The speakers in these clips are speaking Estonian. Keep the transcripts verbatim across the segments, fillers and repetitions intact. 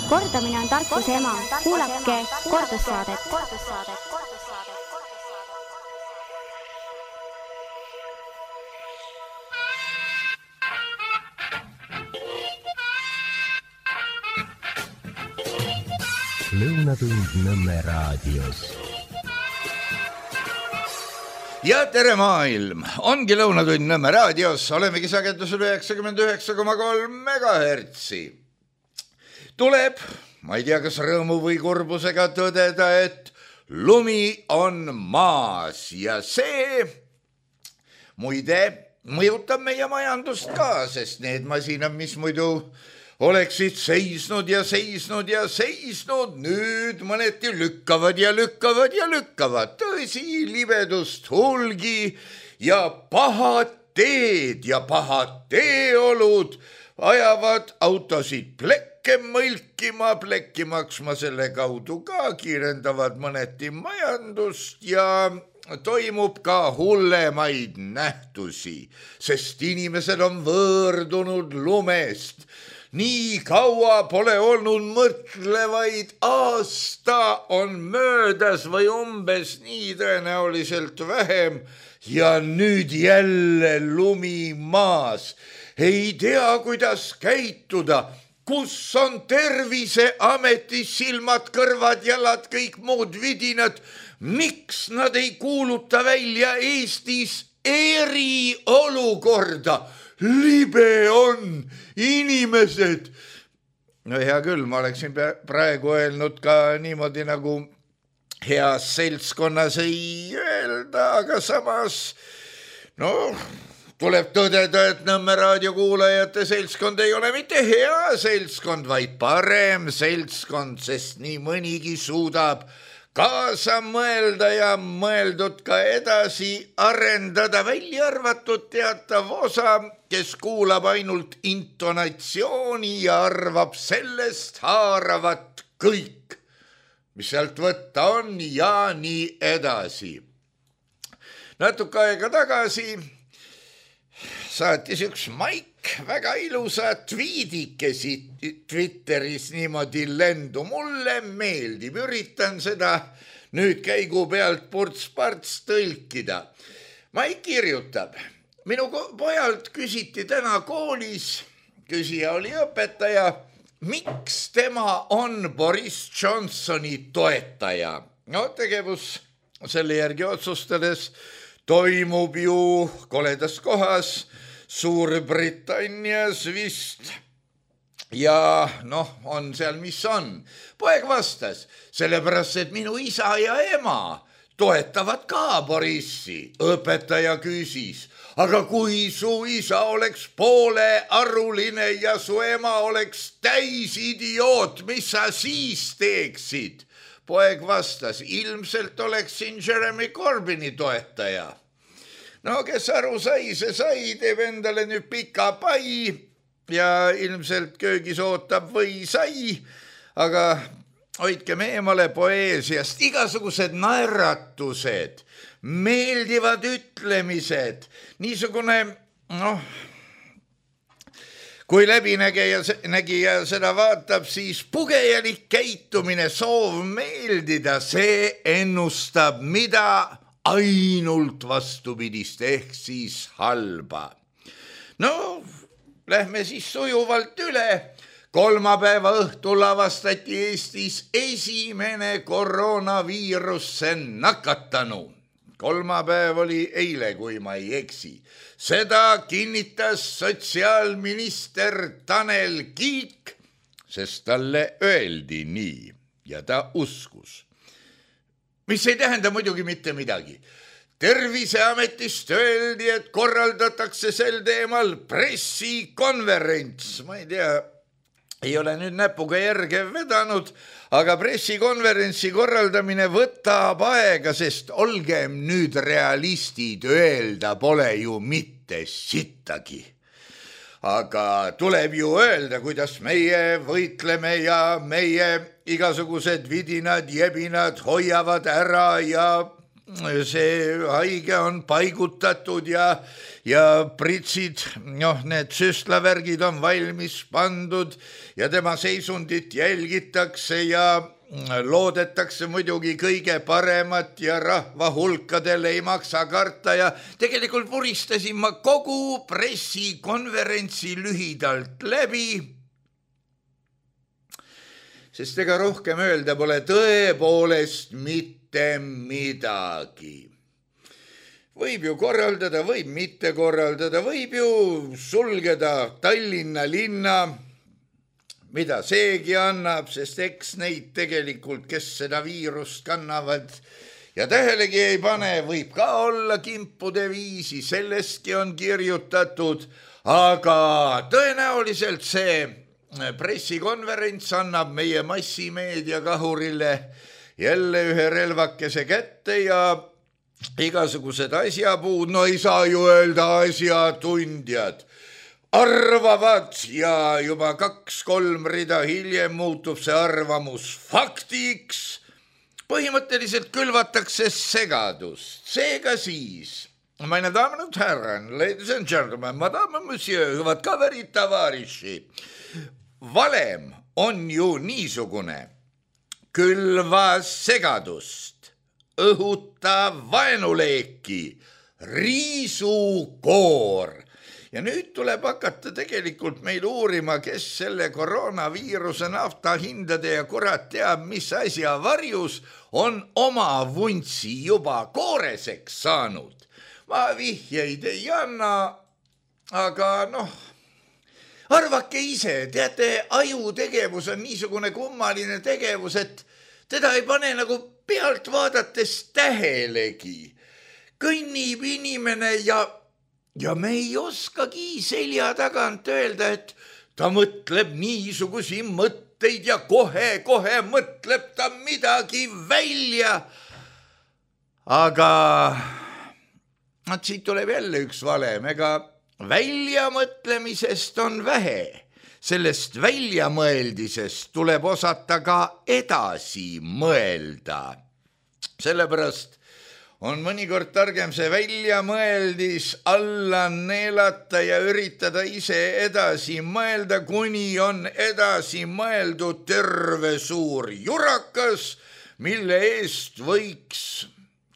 Kordamine on tarkuse ema. Kuulake kordussaadet. Lõunatund Nõmme raadios. Ja tere maailm, ongi Lõunatund Nõmme raadios, olemegi sagedusel üheksakümmend üheksa koma kolm megahertsi. Tuleb, ma ei tea, kas rõõmu või kurbusega tõdeda, et lumi on maas ja see muide mõjutab meie majandust ka, sest need masinad, mis muidu oleksid seisnud ja seisnud ja seisnud, nüüd mõneti lükkavad ja lükkavad ja lükkavad. Tõsi, libedust hulgi ja pahad teed ja pahad teeolud ajavad autosid plekke mõlkima, plekki maksma selle kaudu ka, kiirendavad mõneti majandust ja toimub ka hullemaid nähtusi, sest inimesed on võõrdunud lumest. Nii kaua pole olnud mõtlevaid, aasta on möödas või umbes nii tõenäoliselt vähem ja nüüd jälle lumi maas. Ei tea, kuidas käituda, kus on Terviseameti silmad, kõrvad, jalad, kõik muud vidinad. Miks nad ei kuuluta välja Eestis eriolukorda? Libe on inimesed. No hea küll, ma oleksin praegu öelnud ka niimoodi nagu heas seltskonnas ei öelda, aga samas no tuleb tõdeda, et Nõmme raadiokuulajate seltskond ei ole mitte hea seltskond, vaid parem seltskond, sest nii mõnigi suudab kaasa mõelda ja mõeldud ka edasi arendada, välja arvatud teatav osa, kes kuulab ainult intonatsiooni ja arvab sellest haaravat kõik, mis sealt võtta on ja nii edasi. Natuke aega tagasi saatis üks Maik väga ilusa tweedikesi Twitteris niimoodi lendu. Mulle meeldib, üritan seda nüüd käigu pealt purts-parts tõlkida. Maik kirjutab, minu pojalt küsiti täna koolis, küsija oli õpetaja, miks tema on Boris Johnsoni toetaja. No tegevus selle järgi otsustades toimub ju koledas kohas Suurbritannias vist ja noh, on seal, mis on. Poeg vastas, sellepärast, et minu isa ja ema toetavad ka Borissi. Õpetaja küsis, aga kui su isa oleks poole aruline ja su ema oleks täis idioot, mis sa siis teeksid? Poeg vastas, ilmselt oleksin Jeremy Corbyni toetaja. No kes aru sai, see sai, teeb endale nüüd pika pai ja ilmselt köögis ootab või sai, aga hoidkem eemale poeesiast. Igasugused naeratused, meeldivad ütlemised, niisugune, noh, kui läbinägija nägija seda vaatab, siis pugejalik käitumine, soov meeldida, see ennustab mida ainult vastupidist ehk siis halba. No, lähme siis sujuvalt üle. Kolmapäeva õhtul avastati Eestis esimene koroonaviirusse nakatanu. Kolmapäev oli eile, kui ma ei eksi. Seda kinnitas sotsiaalminister Tanel Kiik, sest talle öeldi nii ja ta uskus. Mis ei tähenda muidugi mitte midagi. Terviseametist öeldi, et korraldatakse sel teemal pressikonverents. Ma ei tea, ei ole nüüd näpuga järge vedanud, aga pressikonverentsi korraldamine võtab aega, sest olgem nüüd realistid, öelda pole ju mitte sittagi. Aga tuleb ju öelda, kuidas meie võitleme ja meie igasugused vidinad, jebinad hoiavad ära ja see haige on paigutatud ja, ja pritsid, noh, need süstlavärgid on valmis pandud ja tema seisundit jälgitakse ja loodetakse muidugi kõige paremat ja rahva hulkadel ei maksa karta ja tegelikult vuristasin ma kogu pressikonverentsi lühidalt läbi, sest ega rohkem öelda pole tõepoolest mitte midagi. Võib ju korraldada, võib mitte korraldada, võib ju sulgeda Tallinna linna, mida seegi annab, sest eks neid tegelikult, kes seda viirust kannavad ja tähelegi ei pane, võib ka olla kimpude viisi, sellestki on kirjutatud, aga tõenäoliselt see pressikonverents annab meie massimeedia kahurile jälle ühe relvakese kätte ja igasugused asjapuud, no ei saa ju öelda asjatundjad, arvavad ja juba kaks-kolm rida hiljem muutub see arvamus faktiks. Põhimõtteliselt külvatakse segadust. Seega siis, meine damen und herren, ladies and gentlemen, madame monsieur, hüvad kaverid, tavariši. Valem on ju niisugune, külva segadust, õhuta vaenuleeki, riisu koor. Ja nüüd tuleb hakata tegelikult meil uurima, kes selle koroonaviiruse naftahindade ja kurat teab, mis asja varjus on oma vuntsi juba kooreseks saanud. Ma vihjeid ei anna, aga noh, arvake ise, teate, aju tegevus on niisugune kummaline tegevus, et teda ei pane nagu pealt vaadates tähelegi. Kõnnib inimene ja Ja me ei oskagi selja tagant öelda, et ta mõtleb niisugusi mõtteid ja kohe-kohe mõtleb ta midagi välja. Aga siit tuleb jälle üks valem, ega väljamõtlemisest on vähe. Sellest väljamõeldisest tuleb osata ka edasi mõelda. Sellepärast on mõnikord targem see väljamõeldis alla neelata ja üritada ise edasi mõelda, kuni on edasi mõeldud terve suur jurakas, mille eest võiks,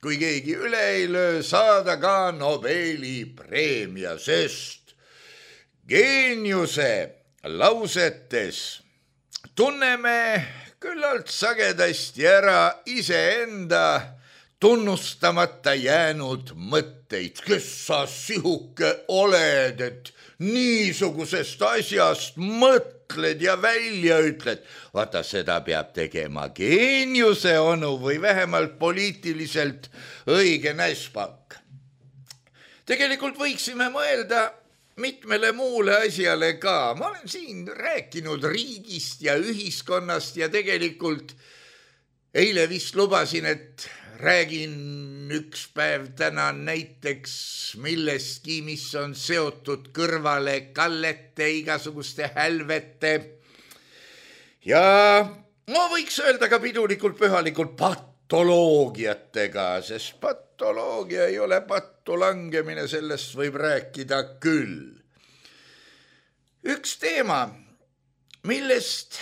kui keegi üle ei löö, saada ka Nobeli preemia, sest geeniuse lausetes tunneme küllalt sagedasti ära iseenda tunnustamata jäänud mõtteid. Kes sa sihuke oled, et niisugusest asjast mõtled ja välja ütled? Vaata, seda peab tegema geeniuse onu või vähemalt poliitiliselt õige näspak. Tegelikult võiksime mõelda mitmele muule asjale ka. Ma olen siin rääkinud riigist ja ühiskonnast ja tegelikult eile vist lubasin, et räägin üks päev täna näiteks millestki, mis on seotud kõrvale kallete, igasuguste hälvete ja no võiks öelda ka pidulikult pühalikult patoloogiatega, sest patoloogia ei ole pattu langemine, sellest võib rääkida küll. Üks teema, millest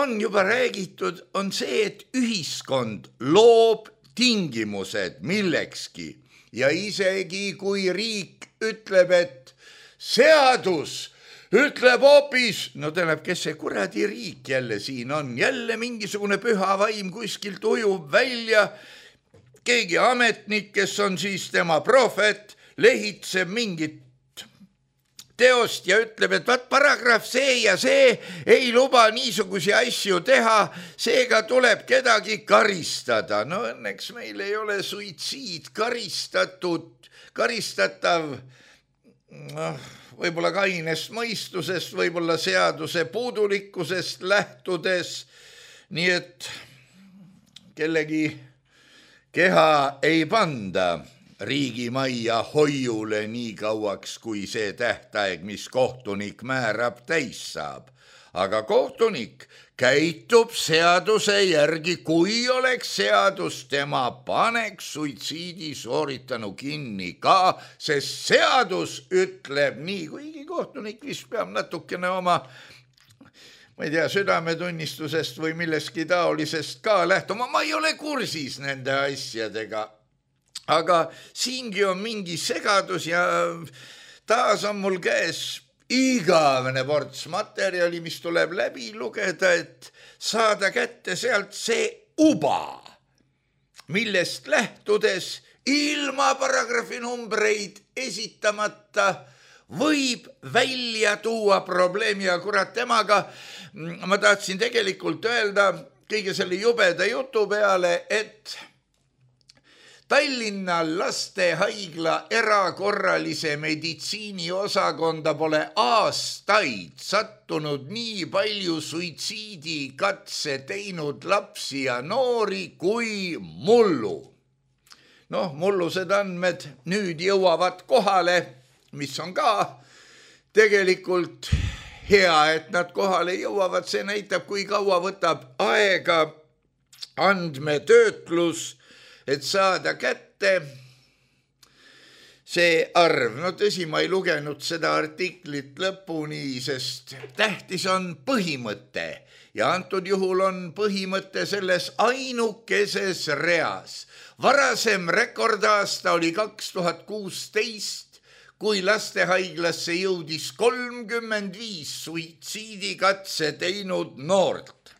on juba räägitud, on see, et ühiskond loob tingimused millekski ja isegi kui riik ütleb, et seadus ütleb hoopis, no tähendab, kes see kuradi riik jälle siin on, jälle mingisugune püha vaim kuskilt ujub välja, keegi ametnik, kes on siis tema prohvet, lehitseb mingit teost ja ütleb, et vaat paragrahv see ja see ei luba niisugusi asju teha, seega tuleb kedagi karistada. No õnneks meil ei ole suitsiid karistatud, karistatav, noh, võib-olla kainest mõistusest, võib-olla seaduse puudulikkusest lähtudes, nii et kellegi keha ei panda riigimajja hoiule nii kauaks, kui see tähtaeg, mis kohtunik määrab, täis saab. Aga kohtunik käitub seaduse järgi, kui oleks seadus, tema paneks suitsiidi sooritanu kinni ka, sest seadus ütleb nii, kuigi kohtunik vist peab natukene oma, ma ei tea, südametunnistusest või milleski taolisest ka lähtuma. Ma ei ole kursis nende asjadega, aga siingi on mingi segadus ja taas on mul käes igavene ports materjali, mis tuleb läbi lugeda, et saada kätte sealt see uba, millest lähtudes ilma paragrahvi numbreid esitamata võib välja tuua probleemi ja kurat temaga. Ma tahtsin tegelikult öelda kõige selle jubeda jutu peale, et Tallinna lastehaigla erakorralise meditsiini osakonda pole aastaid sattunud nii palju suitsiidikatse teinud lapsi ja noori kui mullu. Noh, mullused andmed nüüd jõuavad kohale, mis on ka tegelikult hea, et nad kohale jõuavad. See näitab, kui kaua võtab aega andmetöötlus, et saada kätte see arv. No tõsi, ma ei lugenud seda artiklit lõpuni, sest tähtis on põhimõte ja antud juhul on põhimõte selles ainukeses reas. Varasem rekordaasta oli kaks tuhat kuusteist, kui lastehaiglasse jõudis kolmkümmend viis suitsiidikatse teinud noort.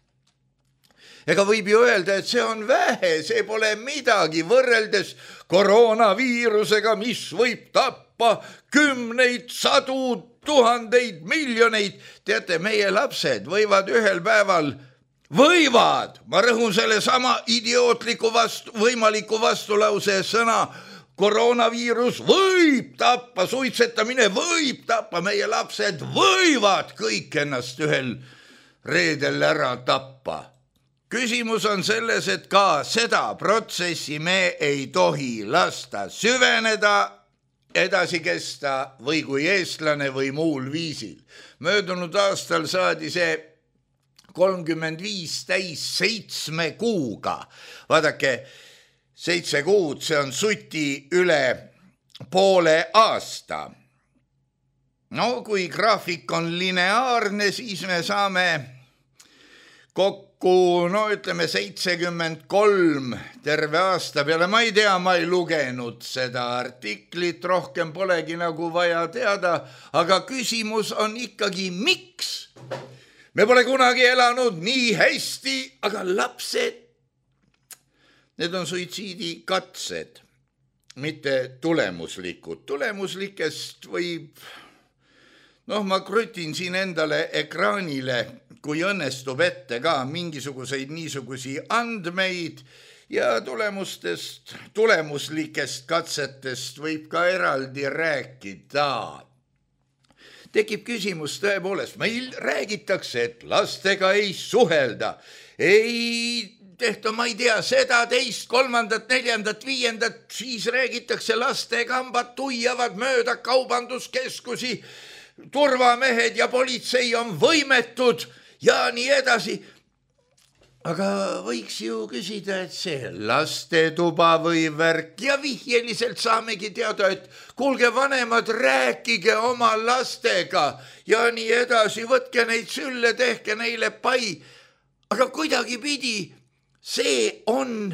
Ega võib ju öelda, et see on vähe, see pole midagi võrreldes koroonaviirusega, mis võib tappa kümneid, sadu, tuhandeid, miljoneid. Teate, meie lapsed võivad ühel päeval, võivad, ma rõhun selle sama idiootliku vastu, võimaliku vastulause sõna, koroonaviirus võib tappa, suitsetamine võib tappa, meie lapsed võivad kõik ennast ühel reedel ära tappa. Küsimus on selles, et ka seda protsessi me ei tohi lasta süveneda, edasi kesta või kui eestlane või muul viisil. Möödunud aastal saadi see kolmkümmend viis täis seitsme kuuga. Vaadake, seitse kuud, see on suti üle poole aasta. No kui graafik on lineaarne, siis me saame kokku no ütleme seitsekümmend kolm terve aasta peale. Ma ei tea, ma ei lugenud seda artiklit, rohkem polegi nagu vaja teada, aga küsimus on ikkagi, miks? Me pole kunagi elanud nii hästi, aga lapsed, need on suitsiidikatsed, mitte tulemuslikud. Tulemuslikest võib, noh, ma krütin siin endale ekraanile, kui õnnestub ette ka mingisuguseid niisugusi andmeid ja tulemustest, tulemuslikest katsetest võib ka eraldi rääkida. Tekib küsimus tõepoolest, meil räägitakse, et lastega ei suhelda, ei tehta, ma ei tea, seda, teist, kolmandat, neljandat, viiendat, siis räägitakse lastekambad tuiavad mööda kaubanduskeskusi, turvamehed ja politsei on võimetud ja nii edasi. Aga võiks ju küsida, et see lastetuba või värk ja vihjeliselt saamegi teada, et kuulge vanemad, rääkige oma lastega ja nii edasi, võtke neid sülle, tehke neile pai. Aga kuidagi pidi see on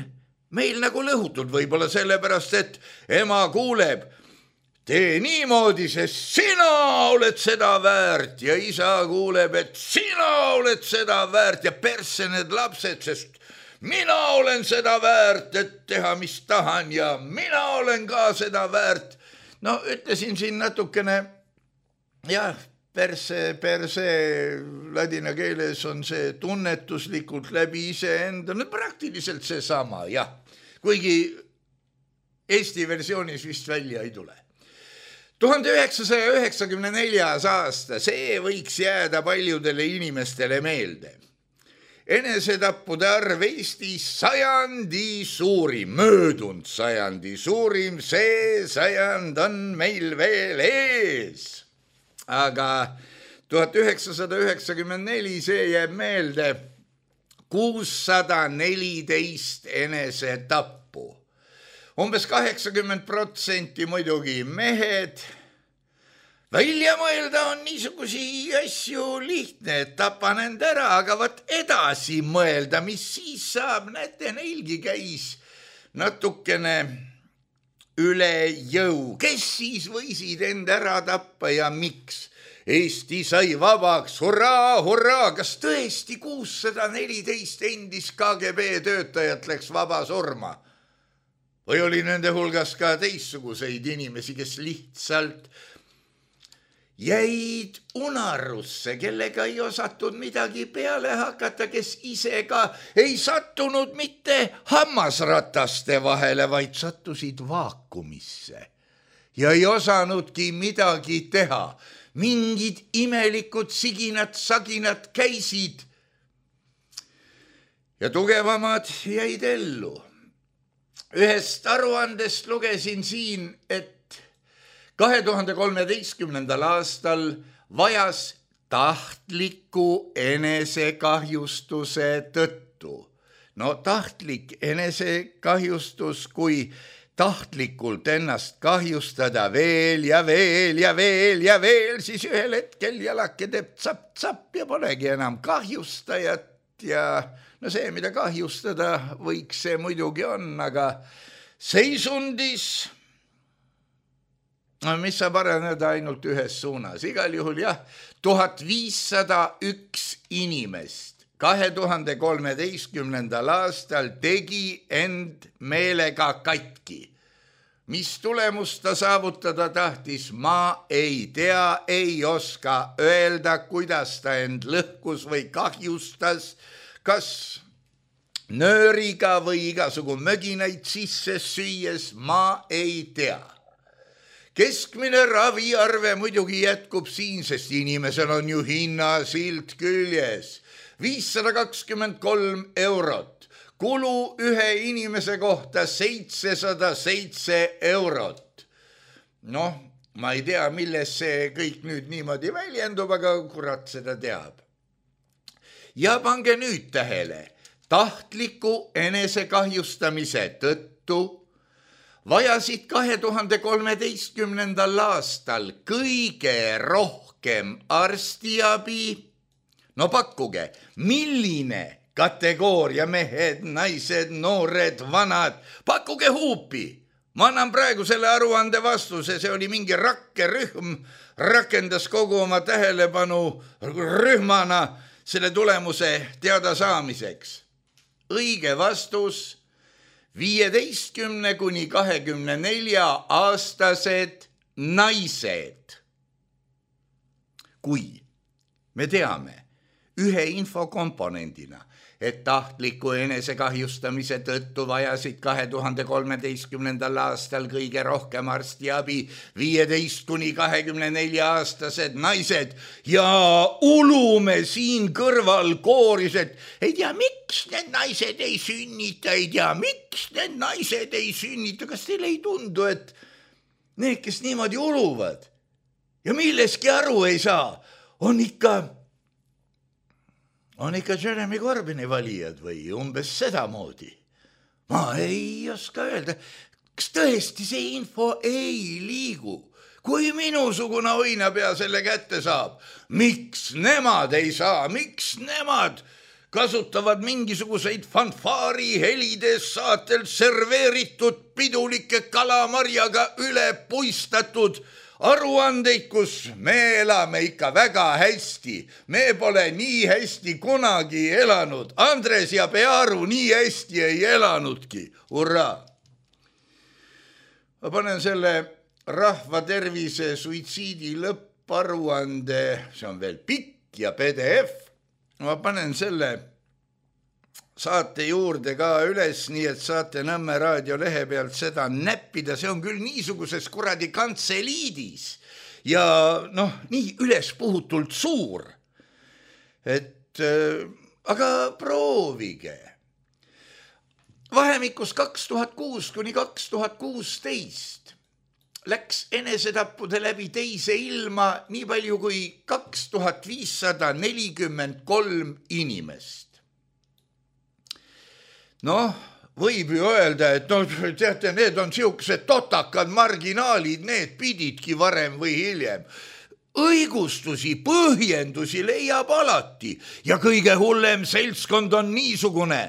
meil nagu lõhutud, võib-olla sellepärast, et ema kuuleb, tee niimoodi, sest sina oled seda väärt ja isa kuuleb, et sina oled seda väärt ja persse need lapsed, sest mina olen seda väärt, et teha mis tahan ja mina olen ka seda väärt. No ütlesin siin natukene, jah, perse, perse ladina keeles on see tunnetuslikult läbi iseenda, no praktiliselt seesama, jah, kuigi Eesti versioonis vist välja ei tule. tuhande üheksasaja üheksakümne neljas aasta, see võiks jääda paljudele inimestele meelde. enesetappude arv Eestis sajandi suurim, möödunud sajandi suurim, see sajand on meil veel ees. Aga tuhat üheksasada üheksakümmend neli, see jääb meelde, kuussada neliteist enesetappu. Umbes kaheksakümmend protsenti muidugi mehed. Välja mõelda on niisugusi asju lihtne, et tapan end ära, aga võt edasi mõelda, mis siis saab, näete, neilgi käis natukene üle jõu. Kes siis võisid end ära tappa ja miks? Eesti sai vabaks, hurraa, hurraa, kas tõesti kuussada neliteist endis K G B töötajat läks vaba surma? Või oli nende hulgas ka teistsuguseid inimesi, kes lihtsalt jäid unarusse, kellega ei osatud midagi peale hakata, kes ise ka ei sattunud mitte hammasrataste vahele, vaid sattusid vaakumisse ja ei osanudki midagi teha. Mingid imelikud siginad, saginad käisid ja tugevamad jäid ellu. Ühest aruandest lugesin siin, et kahe tuhande kolmeteistkümnendal aastal vajas tahtliku enesekahjustuse tõttu. No tahtlik enesekahjustus, kui tahtlikult ennast kahjustada veel ja veel ja veel ja veel, siis ühel hetkel jalake teeb tsapp-tsapp ja polegi enam kahjustajat ja no see, mida kahjustada võiks, see muidugi on, aga seisundis no mis saab areneda ainult ühes suunas. Igal juhul jah, tuhat viissada üks inimest kahe tuhande kolmeteistkümnendal aastal tegi end meelega katki. Mis tulemust ta saavutada tahtis, ma ei tea, ei oska öelda, kuidas ta end lõhkus või kahjustas, kas nööriga või igasugu möginaid sisse süües, ma ei tea. Keskmine raviarve muidugi jätkub siin, sest inimesel on ju hinnasilt küljes. viissada kakskümmend kolm eurot. Kulu ühe inimese kohta seitsesada seitse eurot. Noh, ma ei tea, milles see kõik nüüd niimoodi väljendub, aga kurat seda teab. Ja pange nüüd tähele, tahtliku enesekahjustamise tõttu vajasid kahe tuhande kolmeteistkümnendal aastal kõige rohkem arstiabi. No pakkuge, milline kategooria mehed, naised, noored, vanad, pakkuge huupi. Ma annan praegu selle aruande vastuse, see oli mingi rakkerühm, rakendas kogu oma tähelepanu rühmana selle tulemuse teada saamiseks. Õige vastus viieteistkümne kuni kahekümne nelja aastased naised. Kui me teame ühe infokomponendina, et tahtliku enesekahjustamise tõttu vajasid kahe tuhande kolmeteistkümnendal aastal kõige rohkem arstiabi viieteist kuni kahekümne nelja aastased naised ja ulume siin kõrval kooris, et ei tea, miks need naised ei sünnita, ei tea, miks need naised ei sünnita. Kas teile ei tundu, et need, kes niimoodi uluvad ja milleski aru ei saa, on ikka on ikka Jeremy Corbyni valijad või umbes sedamoodi? Ma ei oska öelda. Kas tõesti see info ei liigu? Kui minusugune õinapea selle kätte saab, miks nemad ei saa? Miks nemad kasutavad mingisuguseid fanfaari helides saatel serveeritud pidulike kalamarjaga üle puistatud aruandeid, kus me elame ikka väga hästi. Me pole nii hästi kunagi elanud. Andres ja Pearu nii hästi ei elanudki. Hurraa! Ma panen selle rahva tervise suitsiidi lõpparuande, see on veel pikk ja P D F. Ma panen selle saate juurde ka üles, nii et saate Nõmme raadio lehe pealt seda näppida. See on küll niisuguses kuradi kantseliidis ja noh, nii üles puhutult suur, et aga proovige. Vahemikus kaks tuhat kuus kuni kaks tuhat kuusteist läks enesetappude läbi teise ilma nii palju kui kaks tuhat viissada nelikümmend kolm inimest. Noh, võib ju öelda, et no, teate, need on siuksed totakad marginaalid, need pididki varem või hiljem. Õigustusi, põhjendusi leiab alati ja kõige hullem seltskond on niisugune,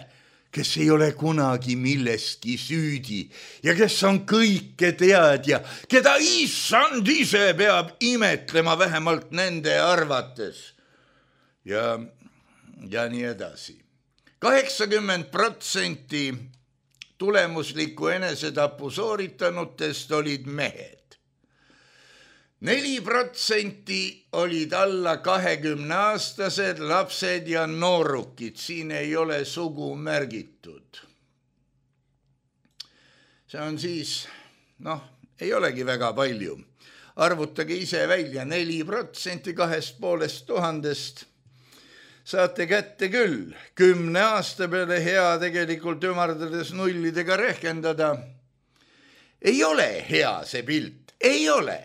kes ei ole kunagi millestki süüdi ja kes on kõike teadja, keda issand ise peab imetlema vähemalt nende arvates. Ja, ja nii edasi. kaheksakümmend protsenti tulemusliku enesetapu sooritanutest olid mehed. neli protsenti olid alla kahekümne aastased lapsed ja noorukid, siin ei ole sugu märgitud. See on siis, noh, ei olegi väga palju. Arvutage ise välja neli protsenti kahest poolest tuhandest. Saate kätte küll, kümne aasta peale hea tegelikult ümardades nullidega rehkendada. Ei ole hea see pilt, ei ole.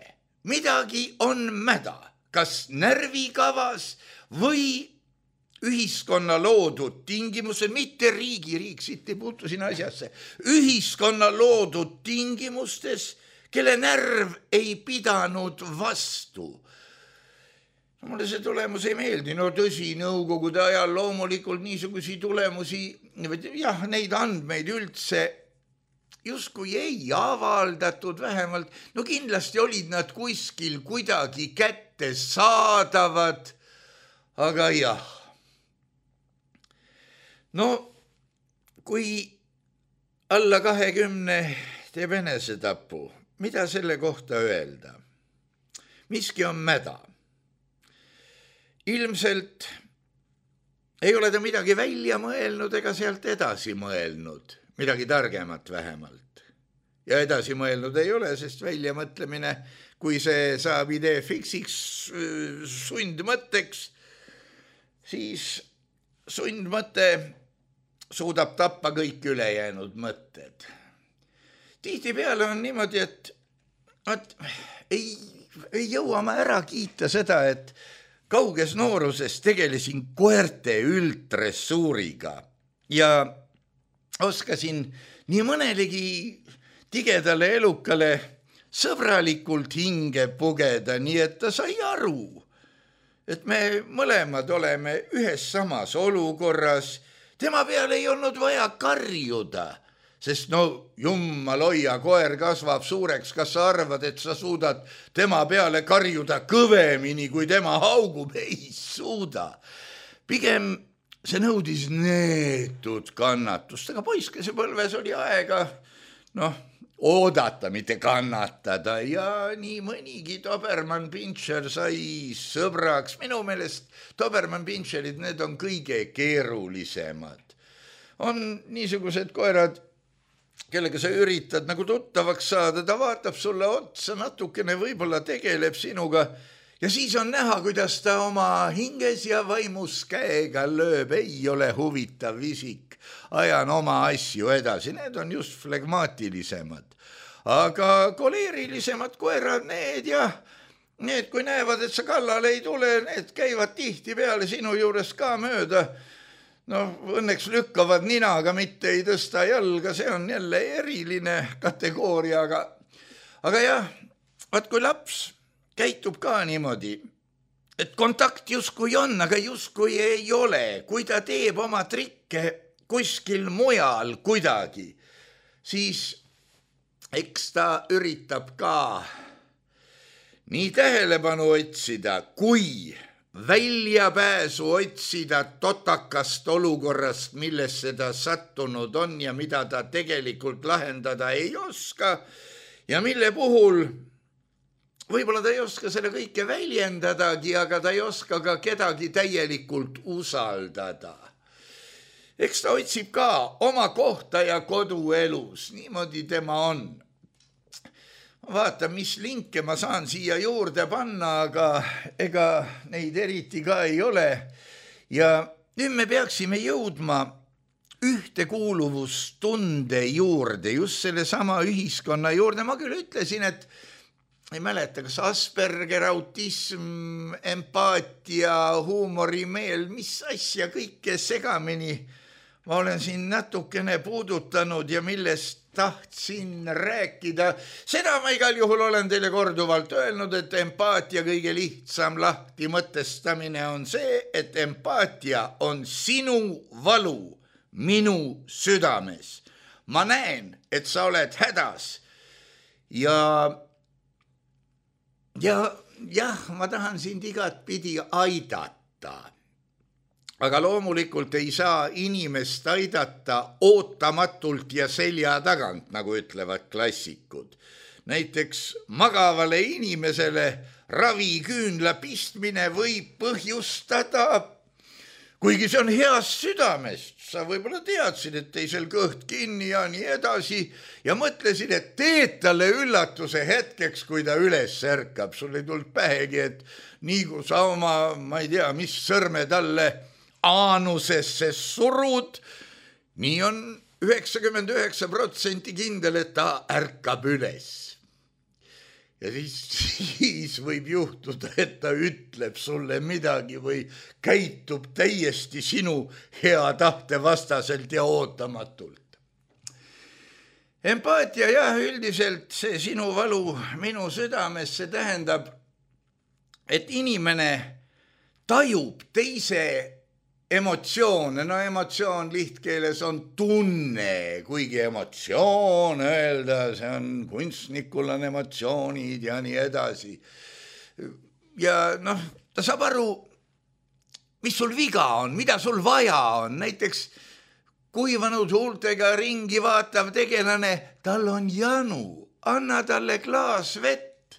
Midagi on mäda, kas närvikavas või ühiskonna loodud tingimused, mitte riigi, riik siit ei puutu sinna asjasse, ühiskonna loodud tingimustes, kelle närv ei pidanud vastu. No, mulle see tulemus ei meeldi, no tõsi, nõukogude ajal loomulikult niisugusi tulemusi, jah, neid andmeid üldse justkui ei avaldatud vähemalt, no kindlasti olid nad kuskil kuidagi kätte saadavad, aga jah. No kui alla kahekümne teeb enesetapu, mida selle kohta öelda? Miski on mäda. Ilmselt ei ole ta midagi välja mõelnud ega sealt edasi mõelnud. Midagi targemat vähemalt. Ja edasi mõelnud ei ole, sest väljamõtlemine, kui see saab idee fiksiks sundmõtteks, siis sundmõte suudab tappa kõik ülejäänud mõtted. Tihtipeale on niimoodi, et, et ei, ei jõua ma ära kiita seda, et kauges nooruses tegelesin koerte üldressuuriga ja oskasin nii mõnelegi tigedale elukale sõbralikult hinge pugeda, nii et ta sai aru, et me mõlemad oleme ühes samas olukorras. Tema peale ei olnud vaja karjuda, sest no jummal hoia, koer kasvab suureks, kas sa arvad, et sa suudad tema peale karjuda kõvemini, kui tema haugub? Ei suuda. Pigem see nõudis neetud kannatust, aga poiskese põlves oli aega, noh, oodata, mitte kannatada ja nii mõnigi Dobermann-Pinscher sai sõbraks. Minu meelest Dobermann-Pinscherid, need on kõige keerulisemad. On niisugused koerad, kellega sa üritad nagu tuttavaks saada, ta vaatab sulle otsa, natukene võib-olla tegeleb sinuga, ja siis on näha, kuidas ta oma hinges ja vaimus käega lööb, ei ole huvitav isik, ajan oma asju edasi, need on just flegmaatilisemad. Aga koleerilisemad koerad, need ja need, kui näevad, et sa kallale ei tule, need käivad tihti peale sinu juures ka mööda. No õnneks lükkavad ninaga, mitte ei tõsta jalga, see on jälle eriline kategooria, aga, aga jah, vaat kui laps käitub ka niimoodi, et kontakt justkui on, aga justkui ei ole. Kui ta teeb oma trikke kuskil mujal kuidagi, siis eks ta üritab ka nii tähelepanu otsida, kui väljapääsu otsida totakast olukorrast, millesse ta sattunud on ja mida ta tegelikult lahendada ei oska ja mille puhul võib-olla ta ei oska selle kõike väljendadagi, aga ta ei oska ka kedagi täielikult usaldada. Eks ta otsib ka oma kohta ja koduelus, niimoodi tema on. Vaata, mis linke ma saan siia juurde panna, aga ega neid eriti ka ei ole. Ja nüüd me peaksime jõudma ühtekuuluvustunde juurde, just selle sama ühiskonna juurde. Ma küll ütlesin, et ei mäleta, kas Asperger, autism, empaatia, huumorimeel, mis asja kõike segamini ma olen siin natukene puudutanud ja millest tahtsin rääkida. Seda ma igal juhul olen teile korduvalt öelnud, et empaatia kõige lihtsam lahti mõtestamine on see, et empaatia on sinu valu minu südames. Ma näen, et sa oled hädas ja ja jah, ma tahan sind igat pidi aidata. Aga loomulikult ei saa inimest aidata ootamatult ja selja tagant, nagu ütlevad klassikud. Näiteks magavale inimesele raviküünla pistmine võib põhjustada, kuigi see on heast südamest, sa võib-olla teadsid, et teisel kõht kinni ja nii edasi ja mõtlesid, et teed talle üllatuse hetkeks, kui ta üles ärkab. Sul ei tulnud pähegi, et nii kui sa oma, ma ei tea, mis sõrme talle aanusesse surud, nii on üheksakümmend üheksa protsenti kindel, et ta ärkab üles. Ja siis, siis võib juhtuda, et ta ütleb sulle midagi või käitub täiesti sinu hea tahte vastaselt ja ootamatult. Empaatia, jah, üldiselt see sinu valu minu südames, see tähendab, et inimene tajub teise emotsioone, no emotsioon lihtkeeles on tunne, kuigi emotsioon öelda, see on kunstnikul on emotsioonid ja nii edasi. Ja noh, ta saab aru, mis sul viga on, mida sul vaja on. Näiteks kuivanud huultega ringi vaatav tegelane, tal on janu, anna talle klaas vett.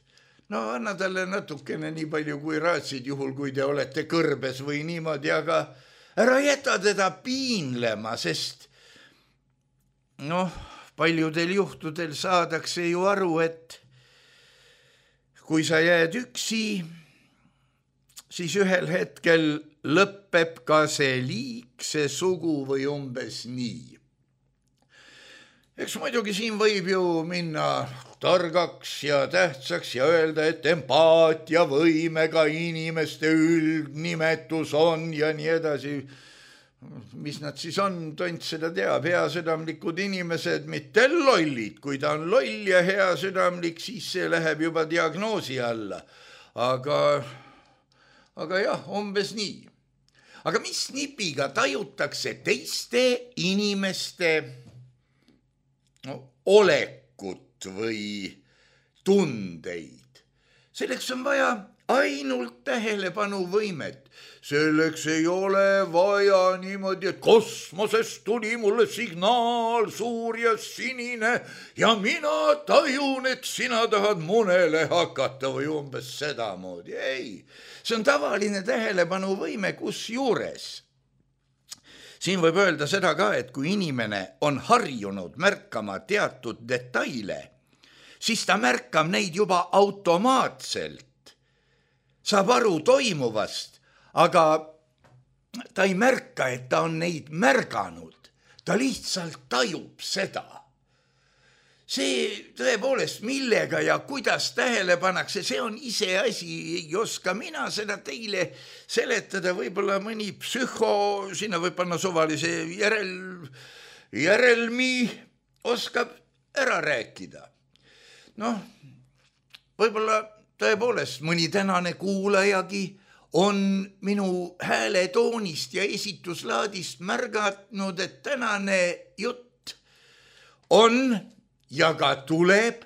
No anna talle natukene nii palju kui raatsid, juhul kui te olete kõrbes või niimoodi, aga ära jäta teda piinlema, sest noh, paljudel juhtudel saadakse ju aru, et kui sa jääd üksi, siis ühel hetkel lõpeb ka see liik, see sugu või umbes nii. Eks muidugi siin võib ju minna targaks ja tähtsaks ja öelda, et empaatia võimega inimeste üldnimetus on ja nii edasi. Mis nad siis on, tont seda teab, heasüdamlikud inimesed, mitte lollid. Kui ta on loll ja heasüdamlik, siis see läheb juba diagnoosi alla. Aga, aga jah, umbes nii. Aga mis nipiga tajutakse teiste inimeste no, olekut või tundeid? Selleks on vaja ainult tähelepanuvõimet. Selleks ei ole vaja niimoodi, et kosmosest tuli mulle signaal suur ja sinine ja mina tajun, et sina tahad munele hakata või umbes sedamoodi. Ei, see on tavaline tähelepanuvõime, kus juures. Siin võib öelda seda ka, et kui inimene on harjunud märkama teatud detaile, siis ta märkab neid juba automaatselt, saab aru toimuvast, aga ta ei märka, et ta on neid märganud, ta lihtsalt tajub seda. See tõepoolest, millega ja kuidas tähele pannakse, see on ise asi, ei oska mina seda teile seletada, võib-olla mõni psühho, sinna võib panna suvalise järel, järelmi, oskab ära rääkida. Noh, võib-olla tõepoolest mõni tänane kuulajagi on minu hääletoonist ja esituslaadist märgatnud, et tänane jutt on ja ka tuleb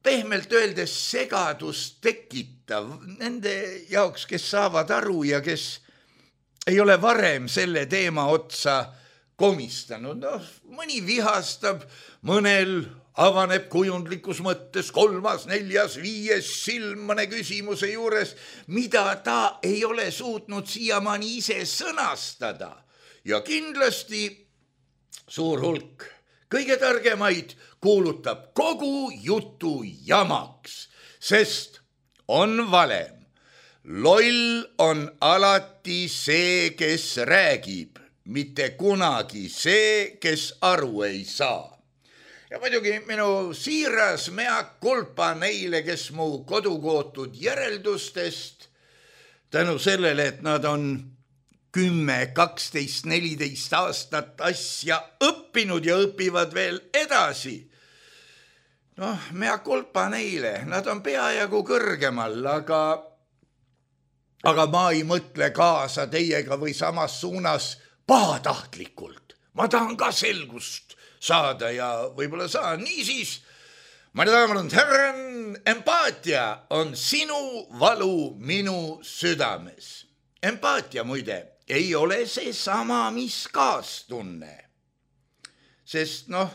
pehmelt öeldes segadust tekitav nende jaoks, kes saavad aru ja kes ei ole varem selle teema otsa komistanud. No, mõni vihastab, mõnel avaneb kujundlikus mõttes kolmas, neljas, viies silm mõne küsimuse juures, mida ta ei ole suutnud siiamaani ise sõnastada. Ja kindlasti suur hulk kõige targemaid kuulutab kogu jutu jamaks, sest on valem. loll on alati see, kes räägib, mitte kunagi see, kes aru ei saa. Ja muidugi minu siiras mea kulpa neile, kes mu kodukootud järeldustest tänu sellele, et nad on kümme, kaksteist, neliteist aastat asja õppinud ja õpivad veel edasi. Noh, mea kulpa neile, nad on peajagu kõrgemal, aga, aga ma ei mõtle kaasa teiega või samas suunas pahatahtlikult. Ma tahan ka selgust saada ja võib-olla saan. Niisiis, ma tean, härran, empaatia on sinu valu minu südames. Empaatia muide ei ole see sama, mis kaastunne. Sest noh,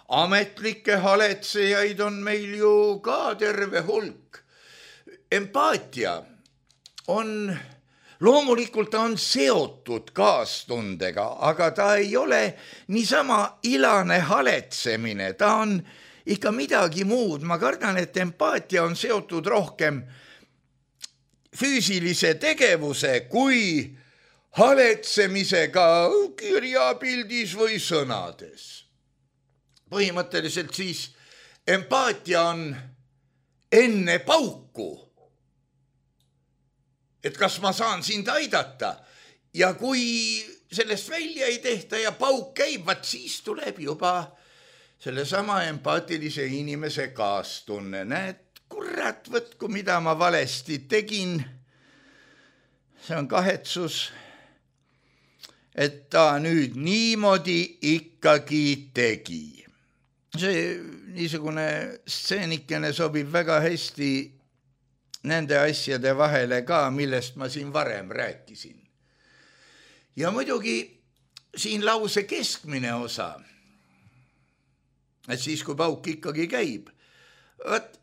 ametlikke haletsejaid on meil ju ka terve hulk. Empaatia on, loomulikult on seotud kaastundega, aga ta ei ole niisama ilane haletsemine, ta on ikka midagi muud. Ma kardan, et empaatia on seotud rohkem füüsilise tegevuse kui haletsemisega kirjapildis või sõnades. Põhimõtteliselt siis empaatia on enne pauku, et kas ma saan sind aidata ja kui sellest välja ei tehta ja pauk käib, vaat siis tuleb juba sellesama empaatilise inimese kaastunne. Näed, kurat, võtku, mida ma valesti tegin. See on kahetsus, et ta nüüd niimoodi ikkagi tegi. See niisugune stseenikene sobib väga hästi nende asjade vahele ka, millest ma siin varem rääkisin. Ja muidugi siin lause keskmine osa, et siis kui pauk ikkagi käib, võt,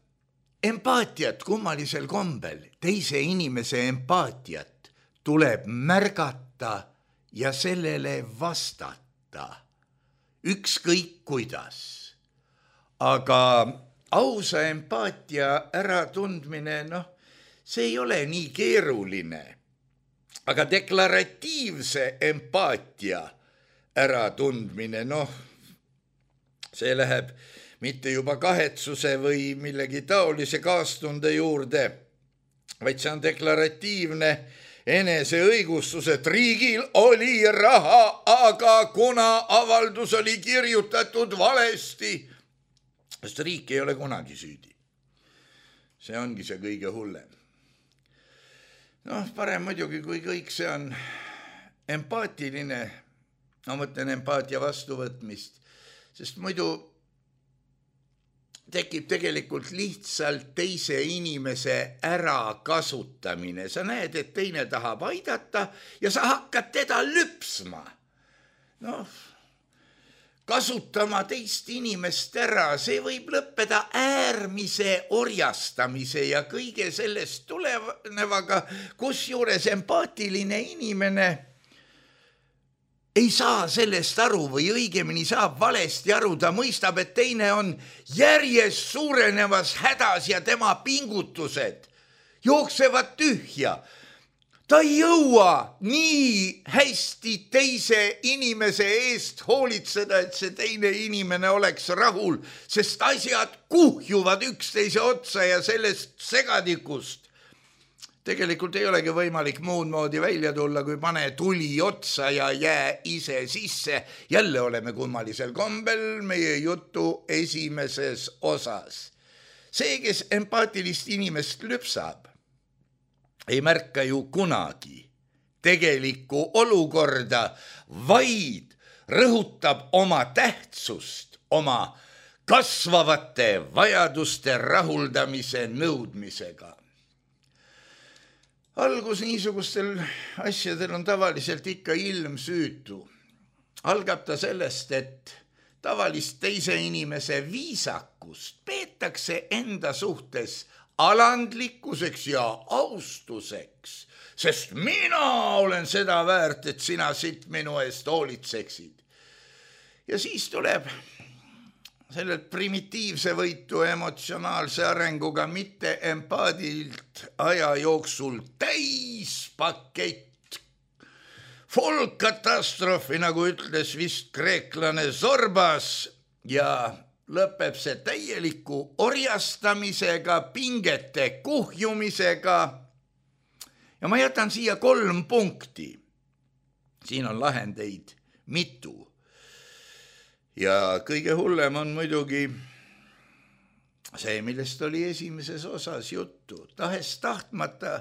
empaatiat kummalisel kombel, teise inimese empaatiat tuleb märgata ja sellele vastata, ükskõik kuidas. Aga ausa empaatia äratundmine, noh, see ei ole nii keeruline. Aga deklaratiivse empaatia äratundmine, noh, see läheb mitte juba kahetsuse või millegi taolise kaastunde juurde, vaid see on deklaratiivne eneseõigustus, et riigil oli raha, aga kuna avaldus oli kirjutatud valesti, sest riik ei ole kunagi süüdi. See ongi see kõige hullem. Noh, parem muidugi, kui kõik see on empaatiline, ma mõtlen empaatia vastuvõtmist, sest muidu tekib tegelikult lihtsalt teise inimese ärakasutamine. Sa näed, et teine tahab aidata ja sa hakkad teda lüpsma. Noh, kasutama teist inimest ära, see võib lõppeda äärmise orjastamise ja kõige sellest tulenevaga, kusjuures empaatiline inimene ei saa sellest aru või õigemini saab valesti aru, ta mõistab, et teine on järjest suurenevas hädas ja tema pingutused jooksevad tühja. Ta ei jõua nii hästi teise inimese eest hoolitseda, et see teine inimene oleks rahul, sest asjad kuhjuvad üksteise otsa ja sellest segadikust tegelikult ei olegi võimalik muud moodi välja tulla, kui pane tuli otsa ja jää ise sisse. Jälle oleme kummalisel kombel meie jutu esimeses osas. See, kes empaatilist inimest lüpsab, ei märka ju kunagi tegelikku olukorda, vaid rõhutab oma tähtsust, oma kasvavate vajaduste rahuldamise nõudmisega. Algus niisugustel asjadel on tavaliselt ikka ilmsüütu. Algab ta sellest, et tavalist teise inimese viisakust peetakse enda suhtes alandlikkuseks ja austuseks, sest mina olen seda väärt, et sina siit minu eest hoolitseksid. Ja siis tuleb sellelt primitiivse võitu emotsionaalse arenguga mitte empaadilt aja jooksul täispakett. Folkkatastroofi, nagu ütles vist kreeklane Zorbas, ja lõpeb see täieliku orjastamisega, pingete kuhjumisega. Ja ma jätan siia kolm punkti. Siin on lahendeid mitu. Ja kõige hullem on muidugi see, millest oli esimeses osas juttu. Tahes tahtmata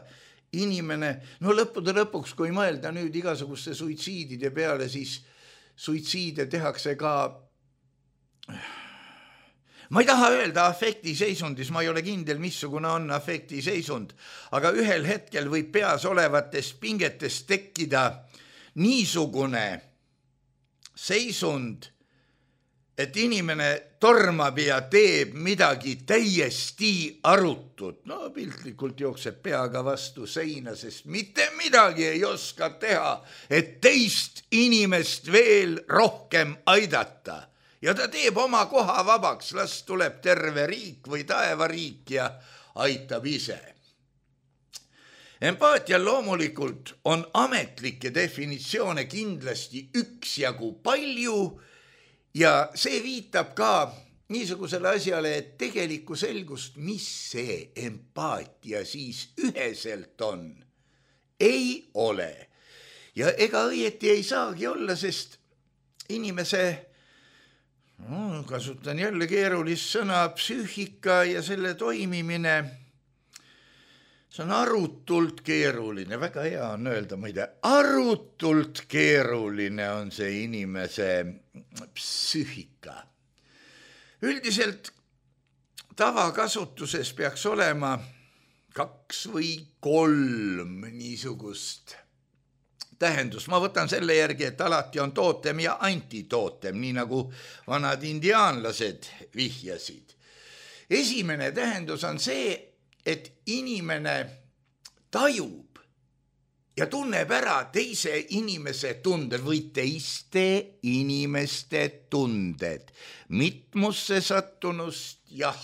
inimene, no lõppude lõpuks, kui mõelda nüüd igasuguste suitsiidide peale, siis suitsiide tehakse ka, ma ei taha öelda afektiseisundis, ma ei ole kindel, missugune on afektiseisund, aga ühel hetkel võib peas olevatest pingetest tekkida niisugune seisund, et inimene tormab ja teeb midagi täiesti arutut. No piltlikult jookseb peaga vastu seina, sest mitte midagi ei oska teha, et teist inimest veel rohkem aidata. Ja ta teeb oma koha vabaks, las tuleb terve riik või taevariik ja aitab ise. Empaatial loomulikult on ametlikke definitsioone kindlasti üksjagu palju, ja see viitab ka niisugusele asjale, et tegelikku selgust, mis see empaatia siis üheselt on, ei ole. Ja ega õieti ei saagi olla, sest inimese, no, kasutan jälle keerulist sõna, psüühika ja selle toimimine, see on arutult keeruline, väga hea on öelda, muide, arutult keeruline on see inimese psüühika. Üldiselt tavakasutuses peaks olema kaks või kolm niisugust tähendust. Ma võtan selle järgi, et alati on tootem ja antitootem, nii nagu vanad indiaanlased vihjasid. Esimene tähendus on see, et inimene tajub ja tunneb ära teise inimese tunded või teiste inimeste tunded. Mitmusse sattunust, jah,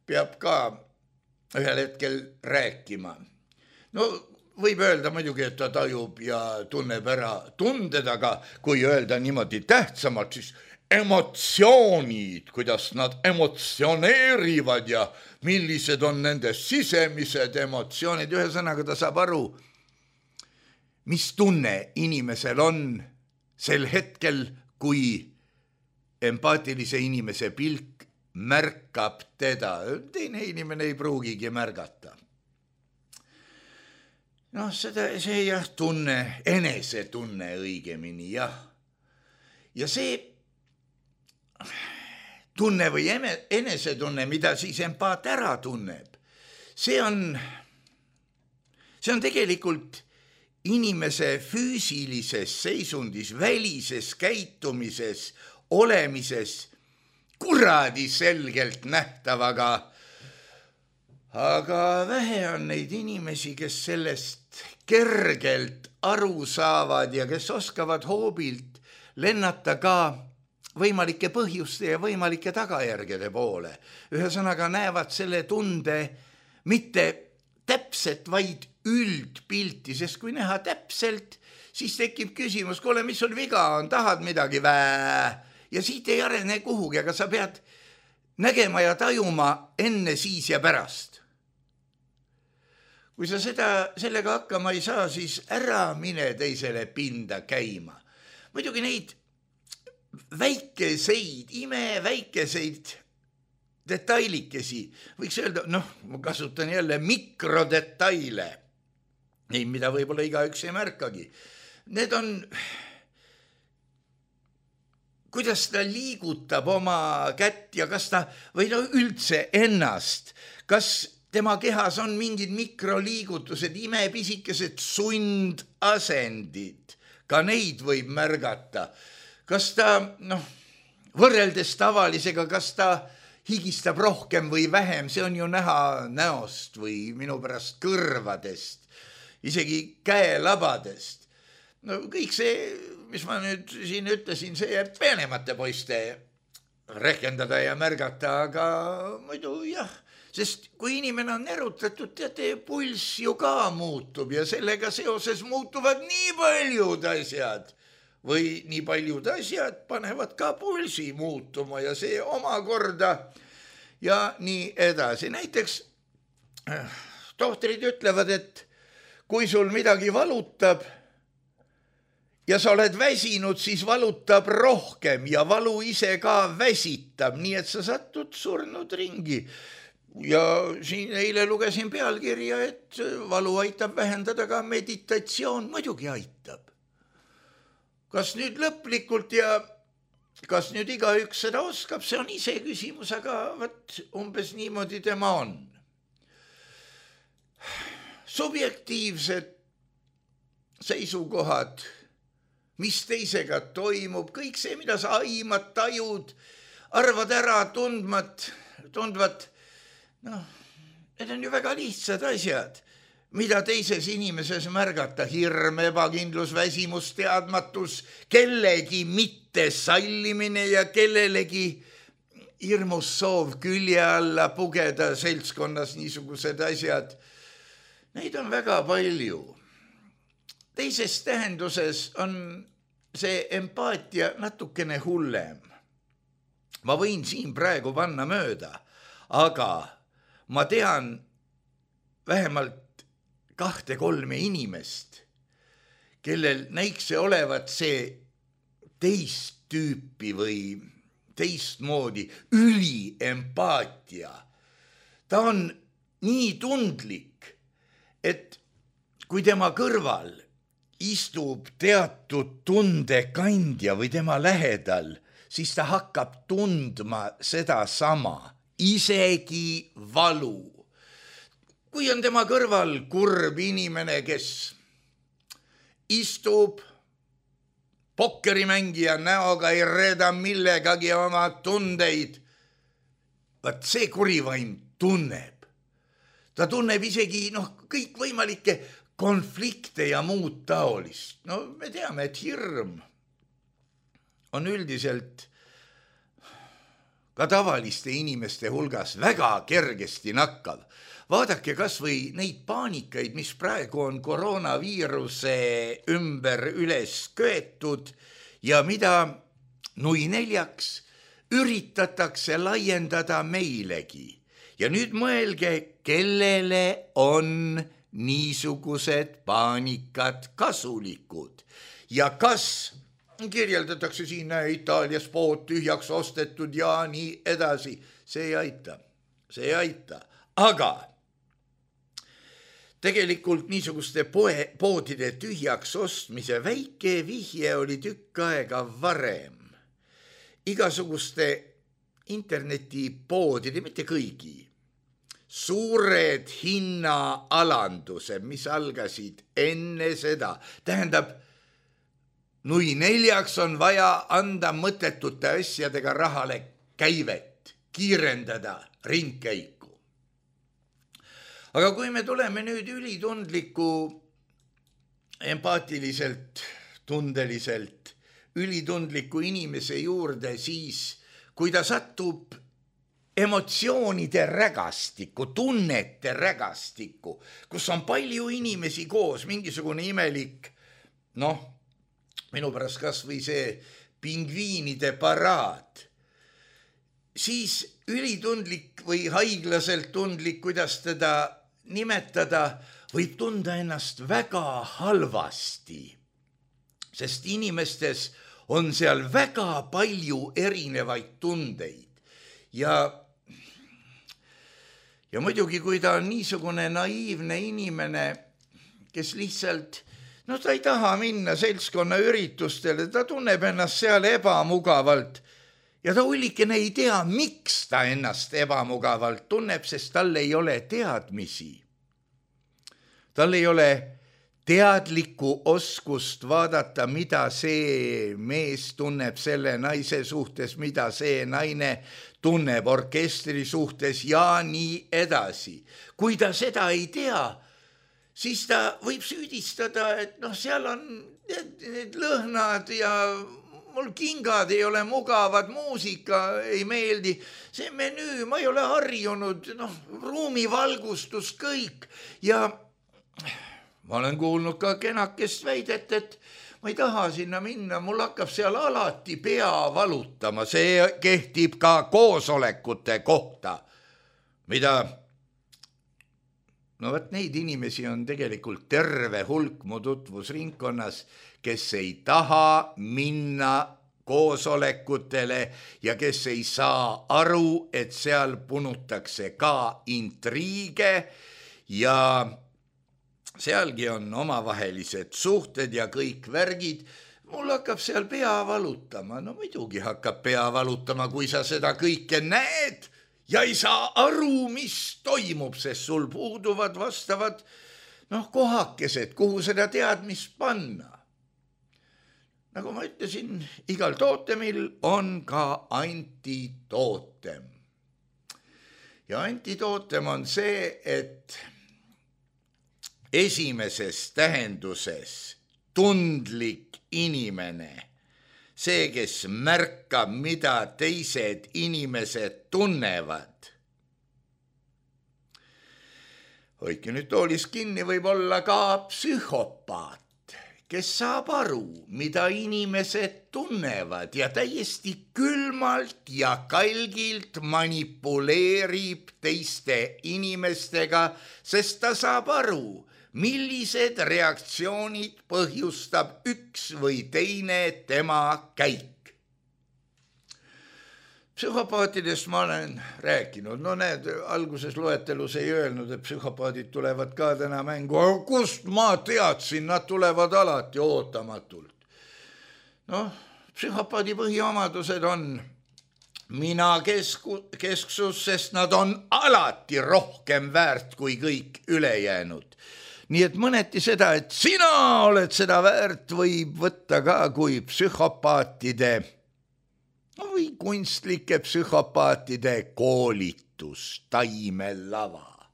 peab ka ühel hetkel rääkima. No võib öelda muidugi, et ta tajub ja tunneb ära tunded, aga kui öelda niimoodi tähtsamalt, siis emotsioonid, kuidas nad emotsioneerivad ja millised on nende sisemised emotsioonid. Ühesõnaga ta saab aru, mis tunne inimesel on sel hetkel, kui empaatilise inimese pilk märkab teda. Teine inimene ei pruugigi märgata. Noh, seda, see jah, tunne, enesetunne õigemini, jah. Ja see tunne või enesetunne, mida siis empaat ära tunneb, see on, see on tegelikult inimese füüsilises seisundis, välises käitumises, olemises kuradi selgelt nähtav, aga, aga vähe on neid inimesi, kes sellest kergelt aru saavad ja kes oskavad hoobilt lennata ka võimalike põhjuste ja võimalike tagajärgede poole. Ühesõnaga näevad selle tunde mitte täpselt, vaid üldpilti, sest kui näha täpselt, siis tekib küsimus, kuule, mis sul viga on, tahad midagi vää? Ja siit ei arene kuhugi, aga sa pead nägema ja tajuma enne, siis ja pärast. Kui sa seda, sellega hakkama ei saa, siis ära mine teisele pinda käima. Muidugi neid väikeseid, ime väikeseid detailikesi, võiks öelda, noh, ma kasutan jälle mikrodetaile, neid, mida võib-olla igaüks ei märkagi. Need on, kuidas ta liigutab oma kätt ja kas ta, või no üldse ennast, kas tema kehas on mingid mikroliigutused, imepisikesed sundasendid, ka neid võib märgata. Kas ta, noh, võrreldes tavalisega, kas ta higistab rohkem või vähem, see on ju näha näost või minu pärast kõrvadest, isegi käelabadest. No kõik see, mis ma nüüd siin ütlesin, see jääb peenemate poiste rehkendada ja märgata, aga muidu jah, sest kui inimene on erutatud, teate, pulss ju ka muutub ja sellega seoses muutuvad nii paljud asjad või nii paljud asjad panevad ka pulsi muutuma ja see omakorda ja nii edasi. Näiteks tohtrid ütlevad, et kui sul midagi valutab ja sa oled väsinud, siis valutab rohkem ja valu ise ka väsitab, nii et sa satud surnud ringi. Ja siin eile lugesin pealkirja, et valu aitab vähendada ka meditatsioon, muidugi aitab. Kas nüüd lõplikult ja kas nüüd igaüks seda oskab, see on ise küsimus, aga võt, umbes niimoodi tema on. Subjektiivsed seisukohad, mis teisega toimub, kõik see, mida sa aimad, tajud, arvad ära, tundmat, tundvat, noh, need on ju väga lihtsad asjad, mida teises inimeses märgata, hirm, ebakindlus, väsimus, teadmatus, kellegi mitte sallimine ja kellelegi hirmus soov külje alla pugeda seltskonnas niisugused asjad. Neid on väga palju. Teises tähenduses on see empaatia natukene hullem. Ma võin siin praegu panna mööda, aga ma tean vähemalt kahte kolme inimest, kellel näiks see olevat see teist tüüpi või teistmoodi üliempaatia. Ta on nii tundlik, et kui tema kõrval istub teatud tundekandja või tema lähedal, siis ta hakkab tundma seda sama, isegi valu. Kui on tema kõrval kurb inimene, kes istub pokkerimängija näoga, ei reeda millegagi oma tundeid, vaat see kurivaim tunneb. Ta tunneb isegi noh, kõik võimalikke konflikte ja muud taolist. No me teame, et hirm on üldiselt ka tavaliste inimeste hulgas väga kergesti nakkav. Vaadake kas või neid paanikaid, mis praegu on koroonaviiruse ümber üles köetud ja mida nui neljaks üritatakse laiendada meilegi. Ja nüüd mõelge, kellele on niisugused paanikad kasulikud ja kas kirjeldatakse siin Itaalias pood tühjaks ostetud ja nii edasi. See ei aita, see ei aita, aga tegelikult niisuguste poe, poodide tühjaks ostmise väike vihje oli tükk aega varem. Igasuguste internetipoodide, mitte kõigi, suured hinnaalandused, mis algasid enne seda. Tähendab, nui neljaks on vaja anda mõttetute asjadega rahale käivet, kiirendada ringkäiku. Aga kui me tuleme nüüd ülitundliku, empaatiliselt, tundeliselt, ülitundliku inimese juurde, siis kui ta satub emotsioonide rägastikku, tunnete rägastikku, kus on palju inimesi koos, mingisugune imelik, noh, minu pärast kas või see pingviinide paraad, siis ülitundlik või haiglaselt tundlik, kuidas teda nimetada, võib tunda ennast väga halvasti, sest inimestes on seal väga palju erinevaid tundeid ja ja muidugi, kui ta on niisugune naiivne inimene, kes lihtsalt, no ta ei taha minna seltskonna üritustele, ta tunneb ennast seal ebamugavalt ja ta hullikene ei tea, miks ta ennast ebamugavalt tunneb, sest tal ei ole teadmisi. Tal ei ole teadlikku oskust vaadata, mida see mees tunneb selle naise suhtes, mida see naine tunneb orkestri suhtes ja nii edasi. Kui ta seda ei tea, siis ta võib süüdistada, et noh, seal on need lõhnad ja mul kingad ei ole mugavad, muusika ei meeldi, see menüü, ma ei ole harjunud, noh, ruumivalgustus kõik ja ma olen kuulnud ka kenakest väidet, et ma ei taha sinna minna, mul hakkab seal alati pea valutama, see kehtib ka koosolekute kohta, mida, no võt neid inimesi on tegelikult terve hulk mu tutvusringkonnas, kes ei taha minna koosolekutele ja kes ei saa aru, et seal punutakse ka intriige ja sealgi on omavahelised suhted ja kõik värgid. Mul hakkab seal pea valutama. No muidugi hakkab pea valutama, kui sa seda kõike näed ja ei saa aru, mis toimub, sest sul puuduvad vastavad noh, kohakesed, kuhu seda teadmist panna. Nagu ma ütlesin, igal tootemil on ka antitootem. Ja antitootem on see, et esimeses tähenduses tundlik inimene, see, kes märkab, mida teised inimesed tunnevad. Hoidke nüüd toolis kinni, võib olla ka psühhopaat, kes saab aru, mida inimesed tunnevad ja täiesti külmalt ja kalgilt manipuleerib teiste inimestega, sest ta saab aru, millised reaktsioonid põhjustab üks või teine tema käik. Psühhopaatidest ma olen rääkinud, no need alguses loetelus ei öelnud, et psühhopaadid tulevad ka täna mängu, aga kust ma teadsin, nad tulevad alati ootamatult. Noh, psühhopaadi põhiomadused on mina kesku, kesksus, sest nad on alati rohkem väärt kui kõik ülejäänud. Nii et mõneti seda, et sina oled seda väärt, võib võtta ka kui psühhopaatide või kunstlike psühhopaatide koolitus, taimelava.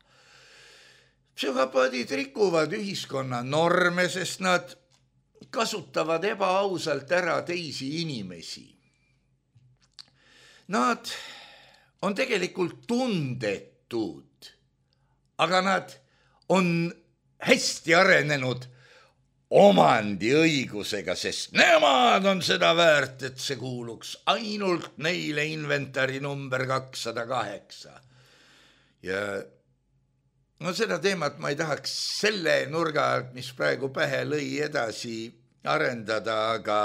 Psühhopaadid rikuvad ühiskonna norme, sest nad kasutavad ebaausalt ära teisi inimesi. Nad on tegelikult tundetud, aga nad on hästi arenenud omandiõigusega, sest nemad on seda väärt, et see kuuluks ainult neile inventari number kakssada kaheksa. Ja no seda teemat ma ei tahaks selle nurga alt, mis praegu pähe lõi, edasi arendada, aga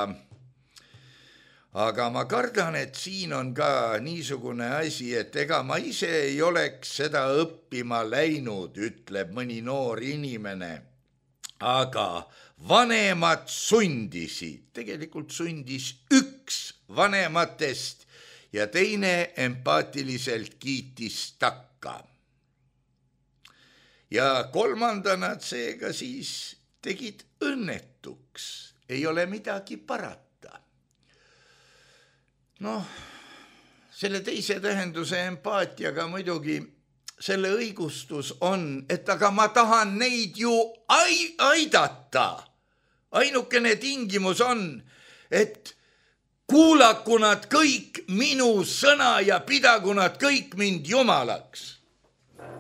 aga ma kardan, et siin on ka niisugune asi, et ega ma ise ei oleks seda õppima läinud, ütleb mõni noor inimene, aga vanemad sundisid, tegelikult sundis üks vanematest ja teine empaatiliselt kiitis takka. Ja kolmandana seega siis tegid õnnetuks, ei ole midagi parata. Noh, selle teise tähenduse empaatiaga muidugi selle õigustus on, et aga ma tahan neid ju aidata. Ainukene tingimus on, et kuulaku nad kõik minu sõna ja pidagu nad kõik mind jumalaks.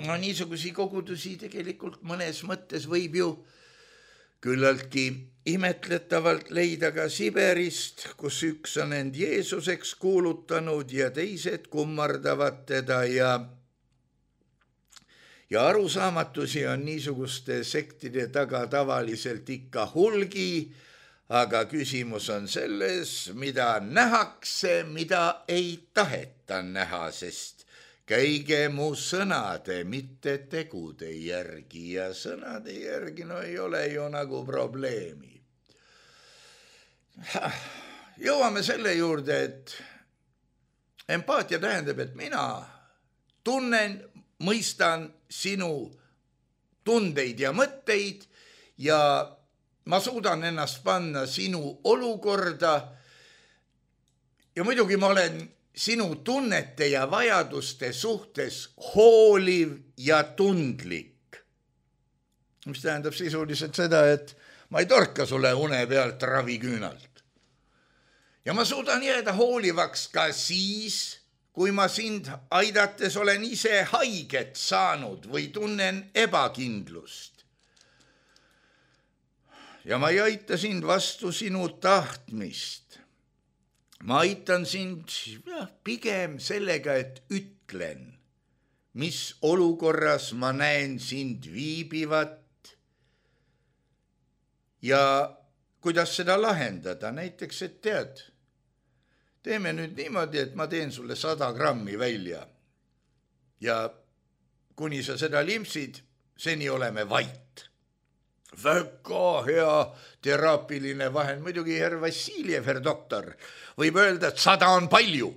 No niisugusi kogudusi tegelikult mõnes mõttes võib ju küllaltki imetletavalt leida ka Siberist, kus üks on end Jeesuseks kuulutanud ja teised kummardavad teda ja ja arusaamatusi on niisuguste sektide taga tavaliselt ikka hulgi, aga küsimus on selles, mida nähakse, mida ei taheta näha, sest käige mu sõnade, mitte tegude järgi ja sõnade järgi no ei ole ju nagu probleemi. Jõuame selle juurde, et empaatia tähendab, et mina tunnen, mõistan sinu tundeid ja mõtteid ja ma suudan ennast panna sinu olukorda ja muidugi ma olen sinu tunnete ja vajaduste suhtes hooliv ja tundlik. Mis tähendab sisuliselt seda, et ma ei torka sulle une pealt raviküünalt. ja ma suudan jääda hoolivaks ka siis, kui ma sind aidates olen ise haiget saanud või tunnen ebakindlust. Ja ma ei aita sind vastu sinu tahtmist. Ma aitan sind ja, pigem sellega, et ütlen, mis olukorras ma näen sind viibivat ja kuidas seda lahendada. Näiteks, et tead, teeme nüüd niimoodi, et ma teen sulle sada grammi välja ja kuni sa seda limpsid, seni oleme vait. Väga hea teraapiline vahend. Muidugi herr Vassiljev, herr doktor, võib öelda, et sada on palju.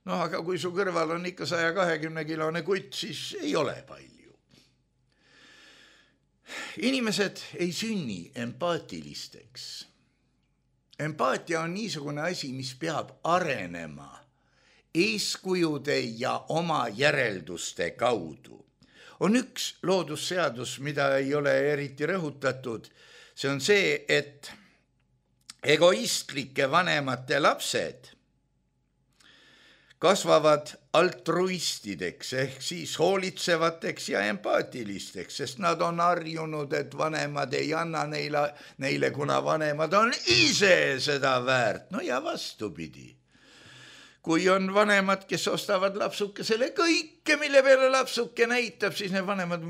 No aga kui su kõrval on ikka saja kahekümne kilone kutt, siis ei ole palju. Inimesed ei sünni empaatilisteks. Empaatia on niisugune asi, mis peab arenema eeskujude ja oma järelduste kaudu. On üks loodusseadus, mida ei ole eriti rõhutatud. See on see, et egoistlike vanemate lapsed kasvavad altruistideks ehk siis hoolitsevateks ja empaatilisteks, sest nad on harjunud, et vanemad ei anna neile, neile, kuna vanemad on ise seda väärt. No ja vastupidi. Kui on vanemad, kes ostavad lapsukesele kõike, mille peale lapsuke näitab, siis need vanemad,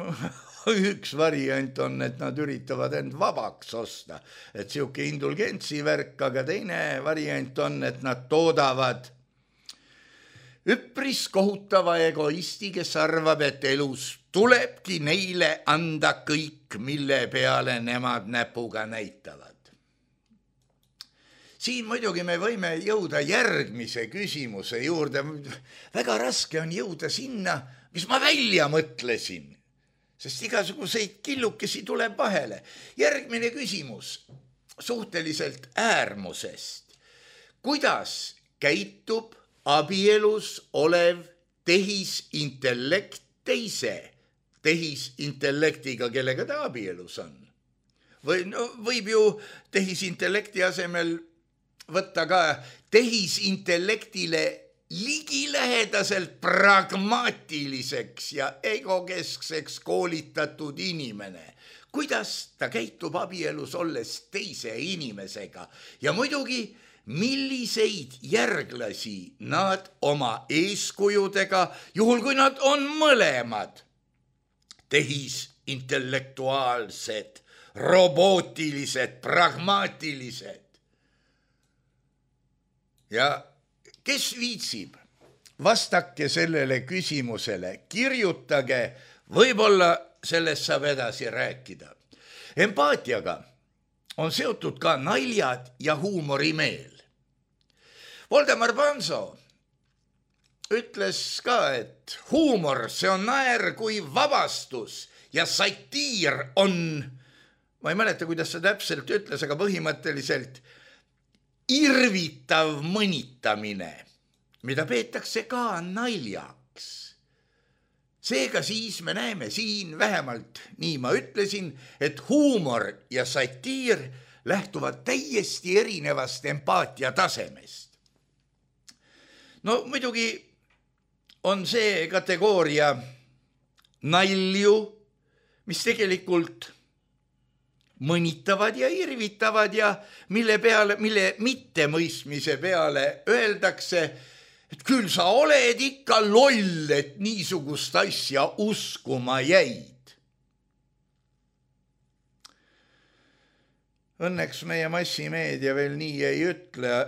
üks variant on, et nad üritavad end vabaks osta. Et siuke indulgentsi värk, aga teine variant on, et nad toodavad üpris kohutava egoisti, kes arvab, et elus tulebki neile anda kõik, mille peale nemad näpuga näitavad. Siin muidugi me võime jõuda järgmise küsimuse juurde. Väga raske on jõuda sinna, mis ma välja mõtlesin, sest igasuguseid killukesi tuleb vahele. Järgmine küsimus suhteliselt äärmusest. Kuidas käitub abielus olev tehisintellekt teise tehisintellektiga, kellega ta abielus on? Või, no, võib ju tehisintellekti asemel võtta ka tehisintellektile ligilähedaselt pragmaatiliseks ja egokeskseks koolitatud inimene. Kuidas ta käitub abielus olles teise inimesega? Ja muidugi, milliseid järglasi nad oma eeskujudega, juhul kui nad on mõlemad tehisintellektuaalsed, robootilised, pragmaatilised. Ja kes viitsib, vastake sellele küsimusele, kirjutage, võib-olla sellest saab edasi rääkida. Empaatiaga on seotud ka naljad ja huumorimeel. Voldemar Panso ütles ka, et huumor, see on naer kui vabastus ja satiir on, ma ei mäleta, kuidas see täpselt ütles, aga põhimõtteliselt irvitav mõnitamine, mida peetakse ka naljaks. Seega siis me näeme siin vähemalt, nii ma ütlesin, et huumor ja satiir lähtuvad täiesti erinevast empaatia tasemest. No muidugi on see kategooria nalju, mis tegelikult mõnitavad ja irvitavad ja mille peale, mille mittemõistmise peale öeldakse, et küll sa oled ikka loll, et niisugust asja uskuma jäid. Õnneks meie massimeedia veel nii ei ütle,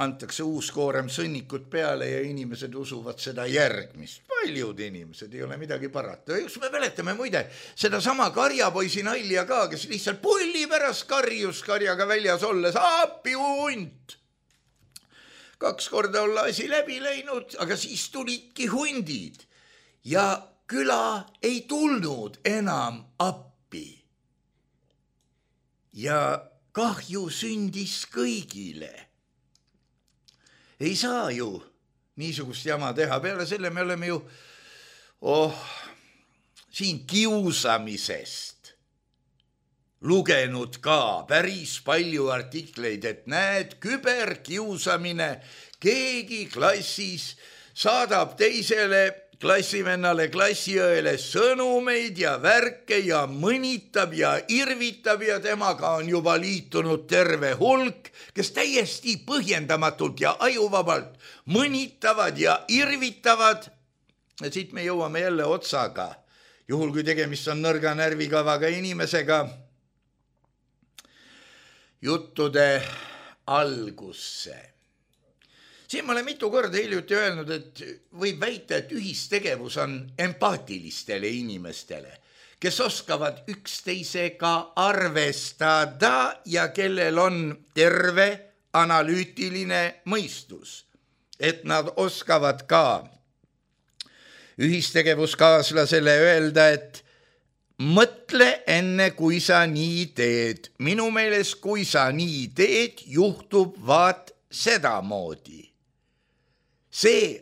antakse uus koorem sõnnikut peale ja inimesed usuvad seda järgmist. Paljud inimesed, ei ole midagi parata. Üks me mäletame muide seda sama karjapoisi nalja ka, kes lihtsalt pulli pärast karjus karjaga väljas olles, appi hunt. Kaks korda olla asi läbi läinud, aga siis tulidki hundid ja küla ei tulnud enam appi. Ja kahju sündis kõigile. Ei saa ju niisugust jama teha. Peale selle me oleme ju oh, siin kiusamisest lugenud ka päris palju artikleid, et näed, küberkiusamine, keegi klassis saadab teisele klassivennale, klassiõele sõnumeid ja värke ja mõnitab ja irvitab ja temaga on juba liitunud terve hulk, kes täiesti põhjendamatult ja ajuvabalt mõnitavad ja irvitavad. Ja siit me jõuame jälle otsaga, juhul kui tegemist on nõrga närvikavaga inimesega, juttude algusse. Siin ma olen mitu korda hiljuti öelnud, et võib väita, et ühistegevus on empaatilistele inimestele, kes oskavad üksteisega arvestada ja kellel on terve analüütiline mõistus, et nad oskavad ka ühistegevuskaaslasele öelda, et mõtle enne, kui sa nii teed. Minu meelest, kui sa nii teed, juhtub vaat sedamoodi. See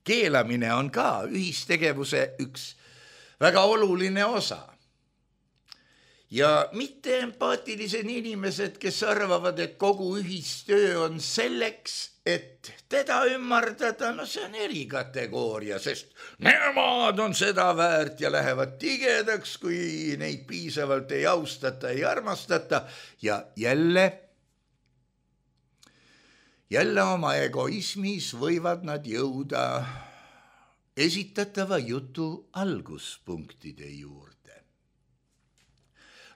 keelamine on ka ühistegevuse üks väga oluline osa. Ja mitte empaatilised inimesed, kes arvavad, et kogu ühistöö on selleks, et teda ümmardada, no see on erikategooria, sest nemad on seda väärt ja lähevad tigedaks, kui neid piisavalt ei austata, ei armastata ja jälle Jälle oma egoismis võivad nad jõuda esitatava jutu alguspunktide juurde.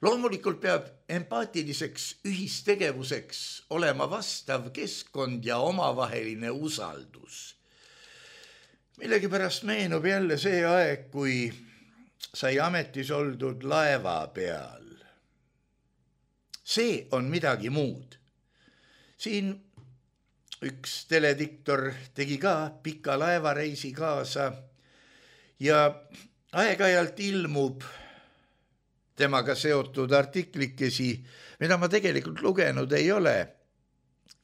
Loomulikult peab empaatiliseks ühistegevuseks olema vastav keskkond ja omavaheline usaldus. Millegipärast meenub jälle see aeg, kui sai ametis oldud laeva peal. See on midagi muud. Siin üks telediktor tegi ka pika laevareisi kaasa ja aeg-ajalt ilmub temaga seotud artiklikesi, mida ma tegelikult lugenud ei ole,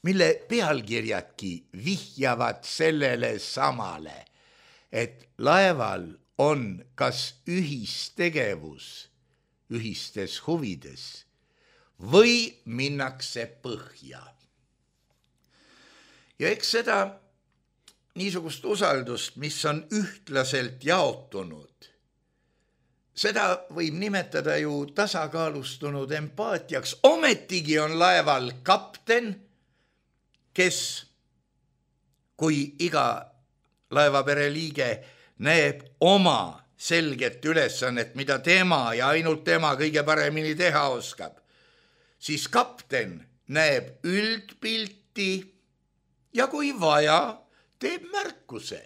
mille pealkirjadki vihjavad sellele samale, et laeval on kas ühistegevus ühistes huvides või minnakse põhja. Ja eks seda niisugust usaldust, mis on ühtlaselt jaotunud, seda võib nimetada ju tasakaalustunud empaatiaks. Ometigi on laeval kapten, kes, kui iga laevapere liige näeb oma selget ülesannet, mida tema ja ainult tema kõige paremini teha oskab, siis kapten näeb üldpilti ja kui vaja, teeb märkuse.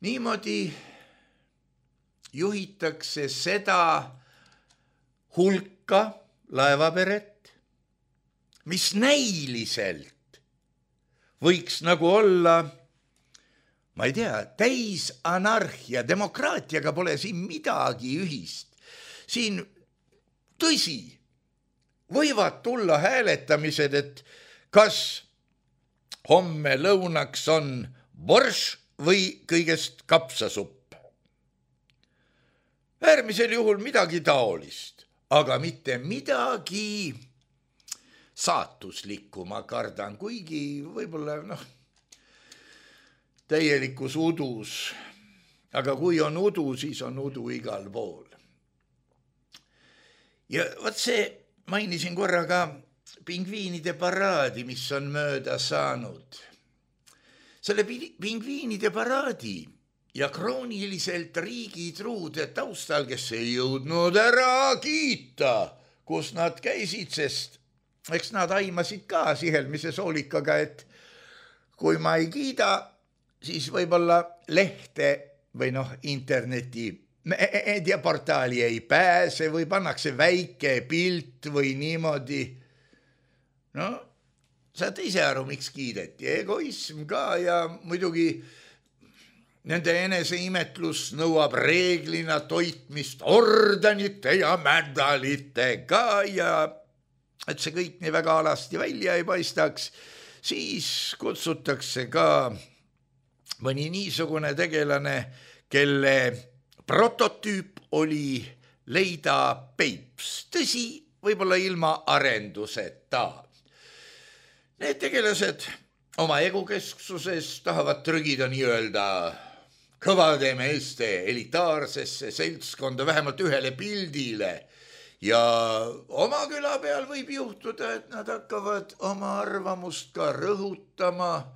Niimoodi juhitakse seda hulka laevaperet, mis näiliselt võiks nagu olla, ma ei tea, täis anarhia, demokraatiaga pole siin midagi ühist. Siin tõsi, võivad tulla hääletamised, et kas homme lõunaks on borš või kõigest kapsasupp. Äärmisel juhul midagi taolist, aga mitte midagi saatuslikku, ma kardan, kuigi võib-olla noh, täielikus udus, aga kui on udu, siis on udu igal pool. Ja võt see, mainisin korra ka pingviinide paraadi, mis on mööda saanud. Selle pingviinide paraadi ja krooniliselt riigitruude taustal, kes ei jõudnud ära kiita, kus nad käisid, sest eks nad aimasid ka sihelmise soolikaga, et kui ma ei kiida, siis võib-olla lehte või noh, interneti meediaportaali ei pääse või pannakse väike pilt või niimoodi. No, saad ise aru, miks kiideti. Egoism ka ja muidugi nende eneseimetlus nõuab reeglina toitmist ordenite ja medalitega ja et see kõik nii väga alasti välja ei paistaks, siis kutsutakse ka mõni niisugune tegelane, kelle prototüüp oli leida peips, tõsi, võib-olla ilma arenduseta. Need tegelased oma egukesksuses tahavad trügida nii-öelda kõvade meeste elitaarsesse seltskonda vähemalt ühele pildile ja oma küla peal võib juhtuda, et nad hakkavad oma arvamust ka rõhutama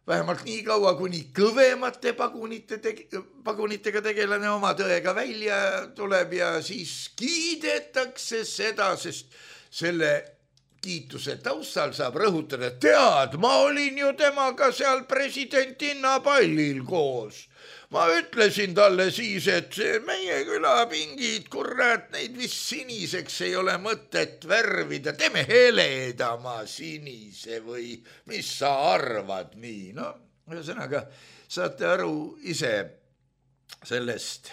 vähemalt nii kaua, kuni kõvemate pagunite tege- pagunitega tegelane oma tõega välja tuleb ja siis kiidetakse seda, sest selle kiituse taustal saab rõhutada, tead, ma olin ju temaga seal presidentinna pallil koos. Ma ütlesin talle siis, et meie külapingid, kurat, neid vist siniseks ei ole mõtet värvida, teeme heledama sinise või mis sa arvad nii. No, ühesõnaga, saate aru ise sellest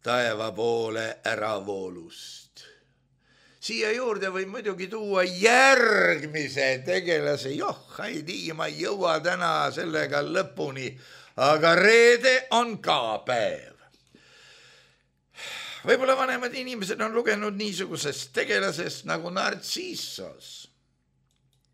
taeva poole äravoolust. Siia juurde võib muidugi tuua järgmise tegelase, joh, ei tii, ma ei jõua täna sellega lõpuni, aga reede on ka päev. Võib-olla vanemad inimesed on lugenud niisugusest tegelasest nagu Narcissos,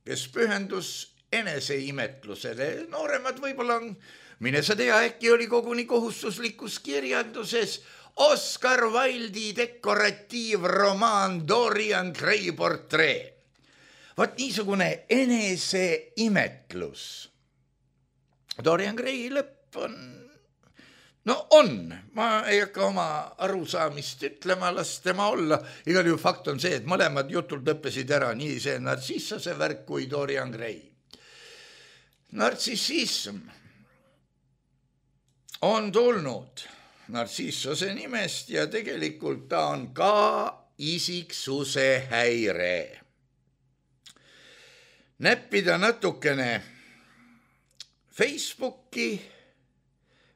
kes pühendus eneseimetlusele. Nooremad võib-olla on, mine sa tea, äkki oli koguni kohustuslikus kirjanduses Oscar Wilde'i dekoratiivromaan Dorian Gray portree. Vaat niisugune eneseimetlus. Dorian Gray lõpp on, no on, ma ei hakka oma arusaamist ütlema, las tema olla. Igal juhul fakt on see, et mõlemad jutud lõppesid ära, nii see Narcissose värk kui Dorian Gray. Narcissism on tulnud Narcissose nimest ja tegelikult ta on ka isiksuse häire. Näppida natukene Facebooki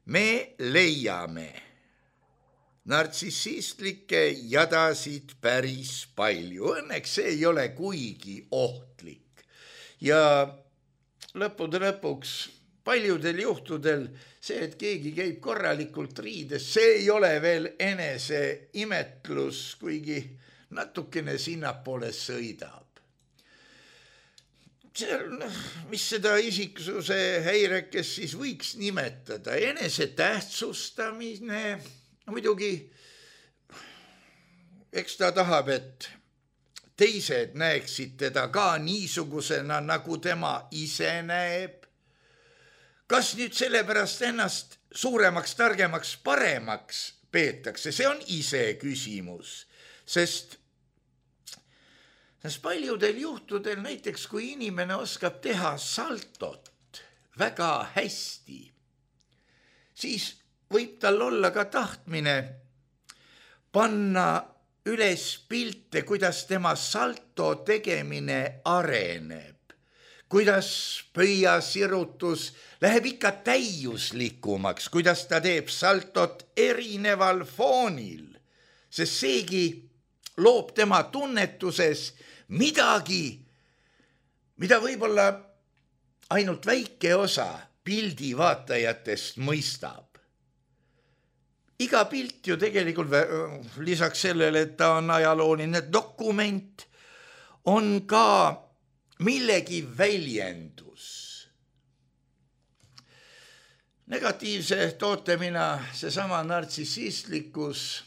me leiame nartsissistlikke jadasid päris palju. Õnneks see ei ole kuigi ohtlik. Ja lõppude lõpuks paljudel juhtudel see, et keegi käib korralikult riides, see ei ole veel eneseimetlus, kuigi natukene sinnapoole sõidab. See, mis seda isiksuse häirekes siis võiks nimetada, enese tähtsustamine, muidugi, eks ta tahab, et teised näeksid teda ka niisugusena, nagu tema ise näeb. Kas nüüd sellepärast ennast suuremaks, targemaks, paremaks peetakse, see on ise küsimus, sest Sest paljudel juhtudel, näiteks kui inimene oskab teha saltot väga hästi, siis võib tal olla ka tahtmine panna üles pilte, kuidas tema salto tegemine areneb, kuidas pöiasirutus läheb ikka täiuslikumaks, kuidas ta teeb saltot erineval foonil, sest seegi loob tema tunnetuses midagi, mida võib-olla ainult väike osa pildi vaatajatest mõistab. Iga pilt ju tegelikult lisaks sellele, et ta on ajalooline dokument, on ka millegi väljendus. Negatiivse tootemina seesama nartsissistlikkus,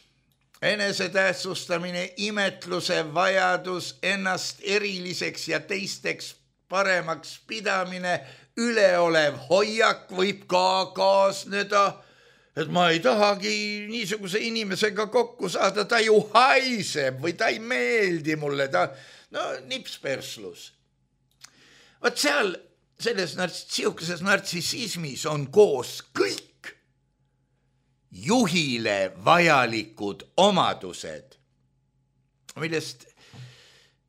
enesetähtsustamine, imetluse vajadus, ennast eriliseks ja teisteks paremaks pidamine, üleolev hoiak võib ka kaasneda, et ma ei tahagi niisuguse inimesega kokku saada, ta ju haiseb või ta ei meeldi mulle, ta, no nipsperslus. Vaat seal, selles siukeses nartsissismis on koos kõik juhile vajalikud omadused, millest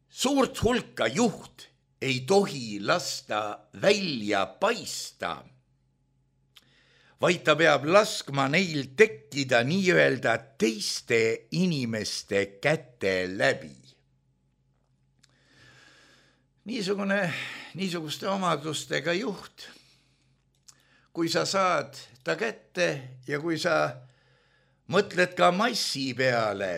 suurt hulka juht ei tohi lasta välja paista, vaid ta peab laskma neil tekkida nii-öelda teiste inimeste käte läbi. Niisugune, niisuguste omadustega juht, kui sa saad ta kätte ja kui sa mõtled ka massi peale,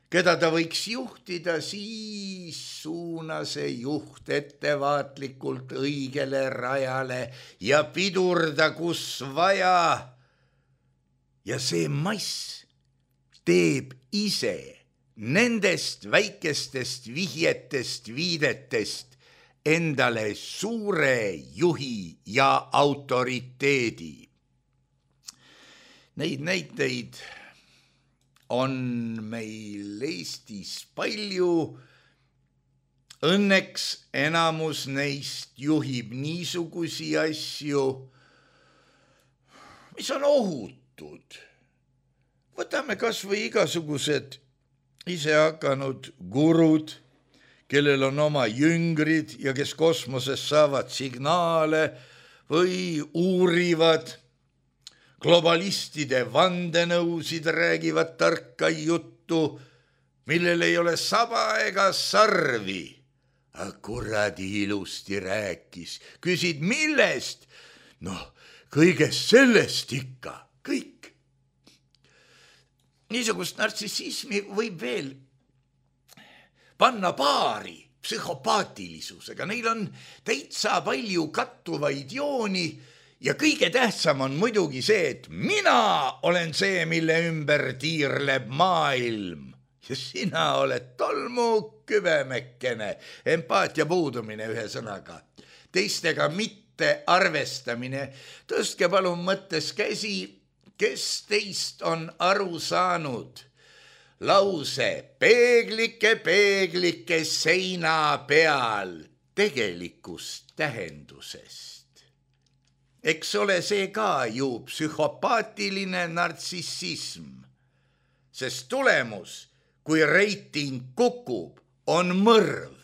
keda ta võiks juhtida, siis suuna see juht ettevaatlikult õigele rajale ja pidurda, kus vaja. Ja see mass teeb ise nendest väikestest vihjetest, viidetest endale suure juhi ja autoriteedi. Neid näiteid on meil Eestis palju. Õnneks enamus neist juhib niisugusi asju, mis on ohutud. Võtame kas või igasugused ise hakanud gurud, kellel on oma jüngrid ja kes kosmoses saavad signaale või uurivad globalistide vandenõusid, räägivad tarka juttu, millel ei ole saba ega sarvi. Aga kuradi ilusti rääkis. Küsid millest? Noh, kõigest sellest ikka, kõik. Niisugust nartsissismi võib veel panna paari psühhopaatilisusega. Neil on täitsa palju kattuvaid jooni. Ja kõige tähtsam on muidugi see, et mina olen see, mille ümber tiirleb maailm. Ja sina oled tolmu kübemekkene, empaatia puudumine ühe sõnaga. Teistega mitte arvestamine. Tõstke palun mõttes käsi, kes teist on aru saanud. Lause peeglike, peeglike seina peal tegelikust tähendusest. Eks ole see ka ju psühhopaatiline nartsissism, sest tulemus, kui reiting kukub, on mõrv.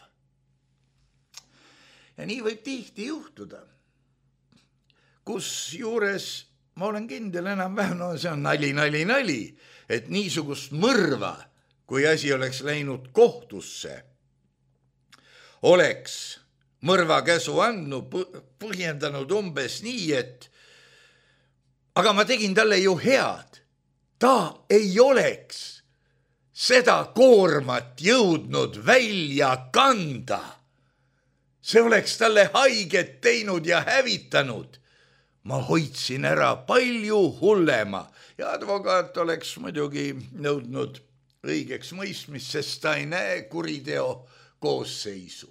Ja nii võib tihti juhtuda, kus juures, ma olen kindel enam-vähem, no see on nali, nali, nali, et niisugust mõrva, kui asi oleks läinud kohtusse, oleks mõrva käsu andnud, põhjendanud umbes nii, et aga ma tegin talle ju head. Ta ei oleks seda koormat jõudnud välja kanda. See oleks talle haiget teinud ja hävitanud. Ma hoidsin ära palju hullema ja advokaat oleks muidugi nõudnud õigeks mõistmist, sest ta ei näe kuriteo koosseisu.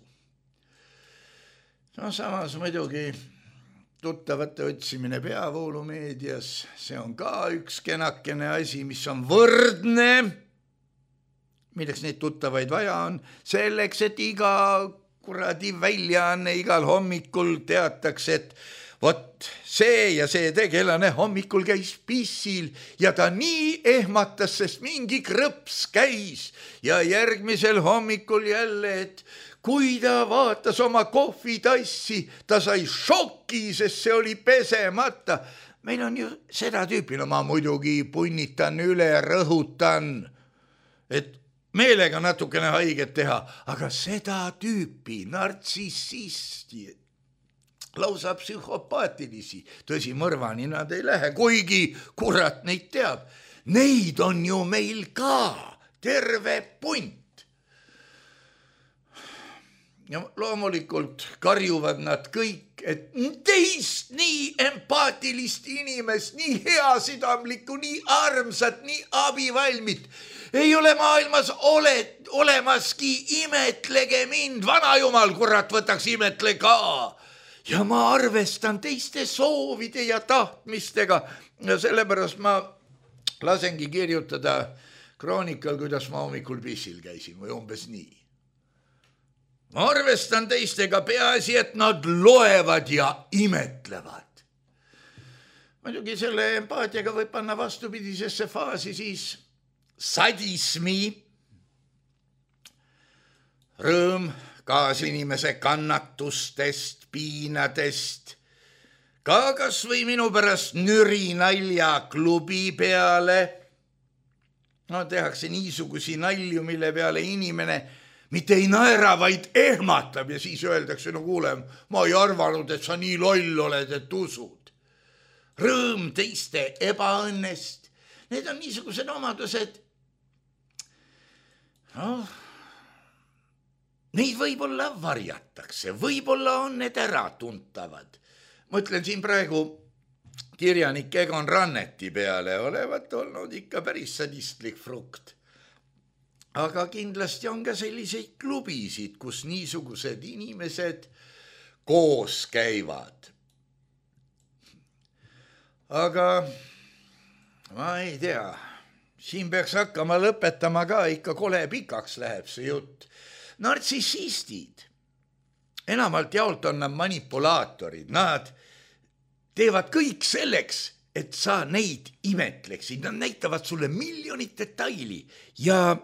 No samas muidugi tuttavate otsimine peavoolumeedias, see on ka üks kenakene asi, mis on võrdne, milleks neid tuttavaid vaja on, selleks, et iga kuradi väljaanne igal hommikul teataks, et vot see ja see tegelane hommikul käis pissil ja ta nii ehmatas, sest mingi krõps käis ja järgmisel hommikul jälle, et kui ta vaatas oma kohvitassi, ta sai šoki, sest see oli pesemata. Meil on ju seda tüüpi, no ma muidugi punnitan üle, rõhutan, et meelega natukene haiget teha, aga seda tüüpi nartsissisti, lausa psühhopaatilisi, tõsi mõrvani nad ei lähe, kuigi kurat neid teab. Neid on ju meil ka terve punt. Ja loomulikult karjuvad nad kõik, et teist nii empaatilist inimest, nii heasidamlikku, nii armsat, nii abivalmit. Ei ole maailmas ole, olemaski, imetlege mind, vanajumal, kurat, võtaks imetle ka. Ja ma arvestan teiste soovide ja tahtmistega ja sellepärast ma lasengi kirjutada kroonikal, kuidas ma hommikul pissil käisin või umbes nii. Ma arvestan teistega, peaasi, et nad loevad ja imetlevad. Muidugi selle empaatiaga võib panna vastupidisesse faasi siis sadismi, rõõm kaasinimese kannatustest, piinadest, ka kas või minu pärast nüri nalja klubi peale. No tehakse niisugusi nalju, mille peale inimene mitte ei naera, vaid ehmatab ja siis öeldakse, no kuule, ma ei arvanud, et sa nii loll oled, et usud. Rõõm teiste ebaõnnest. Need on niisugused omadused, neid võib-olla varjatakse, võib-olla on need äratuntavad. Ma ütlen siin praegu kirjanik Egon Ranneti peale olevat olnud ikka päris sadistlik frukt. Aga kindlasti on ka selliseid klubisid, kus niisugused inimesed koos käivad. Aga ma ei tea, siin peaks hakkama lõpetama ka, ikka kole pikaks läheb see jutt. Nartsissistid, enamalt jaolt on nad manipulaatorid, nad teevad kõik selleks, et sa neid imetleksid, nad näitavad sulle miljonit detaili ja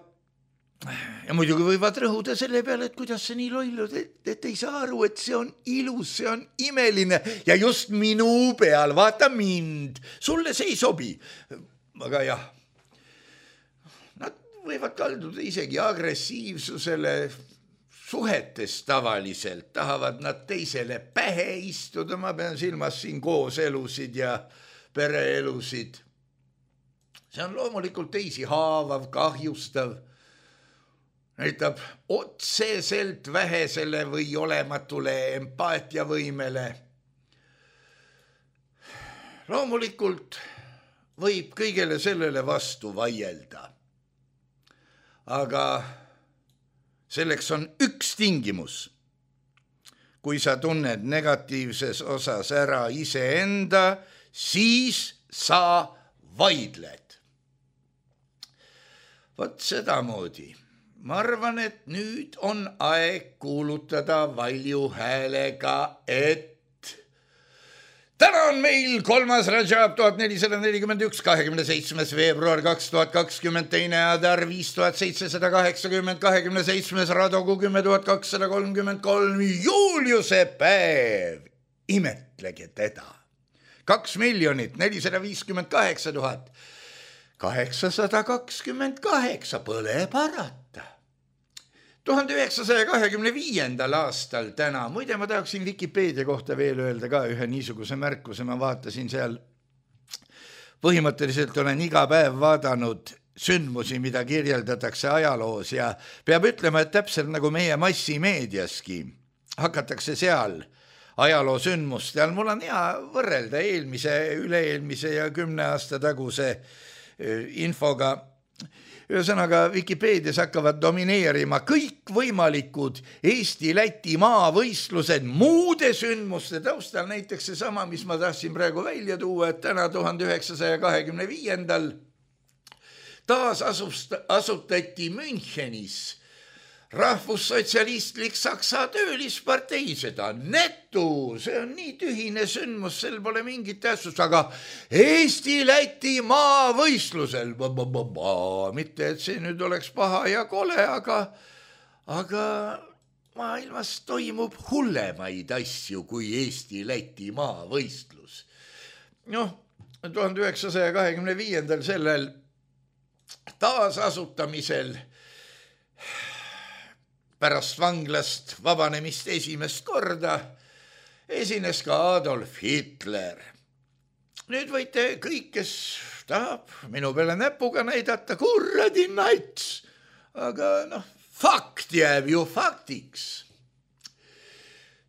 Ja muidugi võivad rõhuda selle peale, et kuidas see nii lollud, et, et ei saa aru, et see on ilus, see on imeline ja just minu peal, vaata mind, sulle see ei sobi. Aga jah, nad võivad kalduda isegi agressiivsusele suhetes tavaliselt, tahavad nad teisele pähe istuda, ma pean silmas siin kooselusid ja pereelusid. See on loomulikult teisi haavav, kahjustav, näitab otseselt vähesele või olematule empaatiavõimele. Loomulikult võib kõigele sellele vastu vaielda. Aga selleks on üks tingimus. Kui sa tunned negatiivses osas ära iseenda, siis sa vaidled. Vot sedamoodi. Ma arvan, et nüüd on aeg kuulutada valju häälega, et täna on meil kolmas Rajab tuhat nelisada nelikümmend üks, kahekümne seitsmes veebruar kaks tuhat kakskümmend, teine Adar viis tuhat seitsesada kaheksakümmend, kahekümne seitsmes Radogu kümme tuhat kakssada kolmkümmend kolm, Juliuse päev, imetlege teda. Kaks miljonit, nelisada viiskümmend kaheksa tuhat, kaheksasada kakskümmend kaheksa, põle parata. tuhande üheksasaja kahekümne viiendal aastal täna, muide ma tahaksin Wikipeedia kohta veel öelda ka ühe niisuguse märkuse, ma vaatasin seal, põhimõtteliselt olen iga päev vaadanud sündmusi, mida kirjeldatakse ajaloos ja peab ütlema, et täpselt nagu meie massimeediaski hakatakse seal ajaloo sündmuste all, mul on hea võrrelda eelmise, üle-eelmise ja kümne aasta taguse infoga. Ühesõnaga, Wikipeedias hakkavad domineerima kõik võimalikud Eesti-Läti maavõistlused muude sündmuste taustal, näiteks see sama, mis ma tahtsin praegu välja tuua, et täna tuhande üheksasaja kahekümne viiendal taas asust, asutati Münchenis rahvussotsialistlik Saksa töölispartei, seda netu, see on nii tühine sündmus, sel pole mingit tähtsust, aga Eesti-Läti maavõistlusel, mitte et see nüüd oleks paha ja kole, aga, aga maailmas toimub hullemaid asju kui Eesti-Läti maavõistlus. Noh, tuhande üheksasaja kahekümne viiendal sellel taasasutamisel pärast vanglast vabanemist esimest korda esines ka Adolf Hitler. Nüüd võite kõik, kes tahab minu peale näpuga näidata, kurradi nats, aga noh, fakt jääb ju faktiks.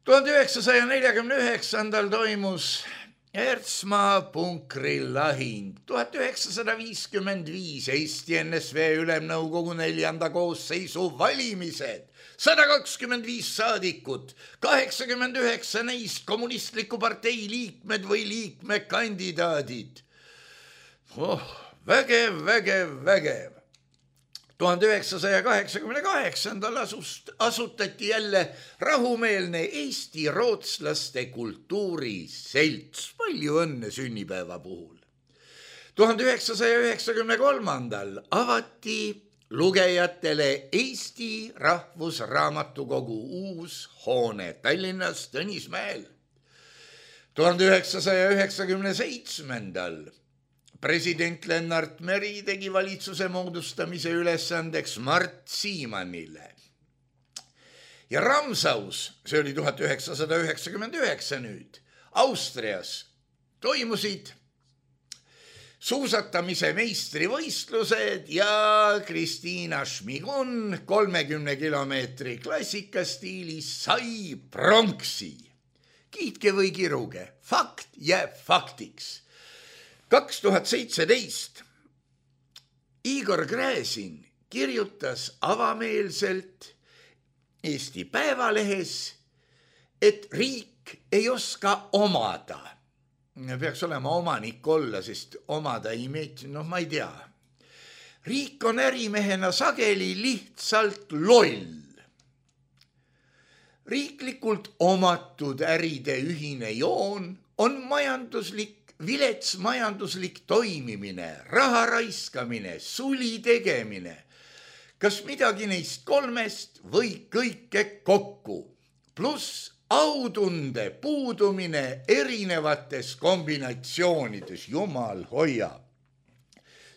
tuhande üheksasaja neljakümne üheksandal toimus Ertsmaa punkri lahing, tuhat üheksasada viiskümmend viis Eesti N S V Ülemnõukogu neljanda koosseisu valimised, sada kakskümmend viis saadikut, kaheksakümmend üheksa neist kommunistliku partei liikmed või liikmekandidaadid. Oh, vägev, vägev, vägev. tuhande üheksasaja kaheksakümne kaheksandal asust, asutati jälle rahumeelne Eesti rootslaste kultuuriselts. Palju õnne sünnipäeva puhul. tuhande üheksasaja üheksakümne kolmandal avati lugejatele Eesti Rahvusraamatukogu uus hoone Tallinnas Tõnismäel. tuhande üheksasaja üheksakümne seitsmendal president Lennart Meri tegi valitsuse moodustamise ülesandeks Mart Siimanile. Ja Ramsaus, see oli tuhat üheksasada üheksakümmend üheksa nüüd, Austrias toimusid suusatamise meistrivõistlused ja Kristiina Šmigun kolmekümne kilomeetri klassikastiilis sai pronksi. Kiitke või kiruge, fakt jääb faktiks. kaks tuhat seitseteist Igor Gräzin kirjutas avameelselt Eesti Päevalehes, et riik ei oska omada. Peaks olema omanik olla, sest omada ei meeti, noh ma ei tea. Riik on ärimehena sageli lihtsalt loll. Riiklikult omatud äride ühine joon on majanduslik, vilets majanduslik toimimine, raha raiskamine, suli tegemine. Kas midagi neist kolmest või kõike kokku, pluss autunde puudumine erinevates kombinatsioonides, jumal hoia.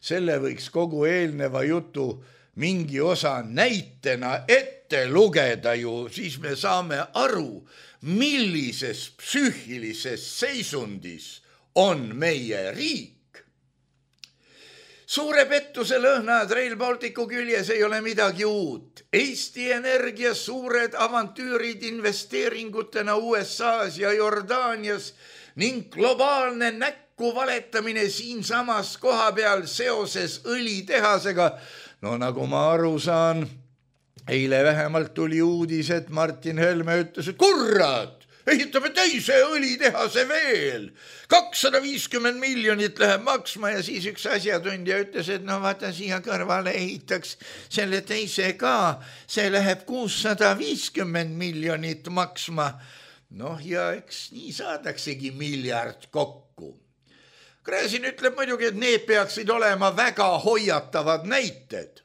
Selle võiks kogu eelneva jutu mingi osa näitena ette lugeda ju, siis me saame aru, millises psüühilises seisundis on meie riik. Suure pettuse lõhnad Rail Balticu küljes ei ole midagi uut. Eesti Energia suured avantüürid investeeringutena U S A-s ja Jordaanias ning globaalne näkku valetamine siinsamas koha peal seoses õlitehasega. No nagu ma aru saan, eile vähemalt tuli uudis, et Martin Helme ütles, et kurat, ehitame teise õlitehase veel. kakssada viiskümmend miljonit läheb maksma ja siis üks asjatundja ütles, et no vaata siia kõrvale ehitaks selle teise ka. See läheb kuussada viiskümmend miljonit maksma. Noh ja eks nii saadaksegi miljard kokku. Gräzin ütleb muidugi, et need peaksid olema väga hoiatavad näited.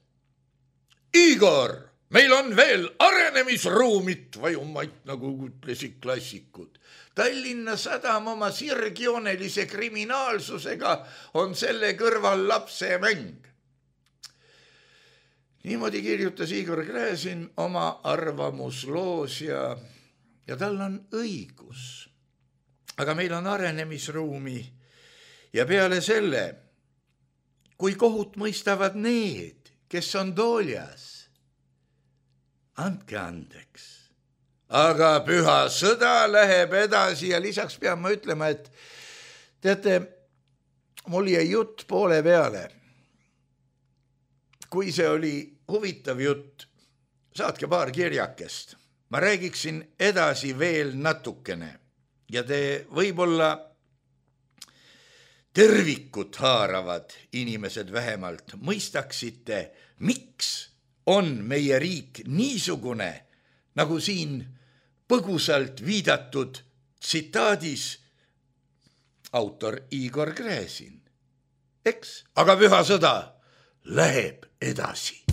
Igor! Meil on veel arenemisruumit vajumaid, nagu ütlesid klassikud. Tallinna Sadam oma sirgjoonelise kriminaalsusega on selle kõrval lapse mäng. Niimoodi kirjutas Igor Gräzin oma arvamusloos ja, ja tal on õigus. Aga meil on arenemisruumi ja peale selle, kui kohut mõistavad need, kes on tooljas, andke andeks. Aga püha sõda läheb edasi ja lisaks pean ma ütlema, et teate, mul jäi jutt poole peale. Kui see oli huvitav jutt, saatke paar kirjakest. Ma räägiksin edasi veel natukene ja te võib-olla tervikut haaravad inimesed vähemalt mõistaksite, miks on meie riik niisugune, nagu siin põgusalt viidatud tsitaadis autor Igor Gräzin. Eks, aga püha sõda läheb edasi.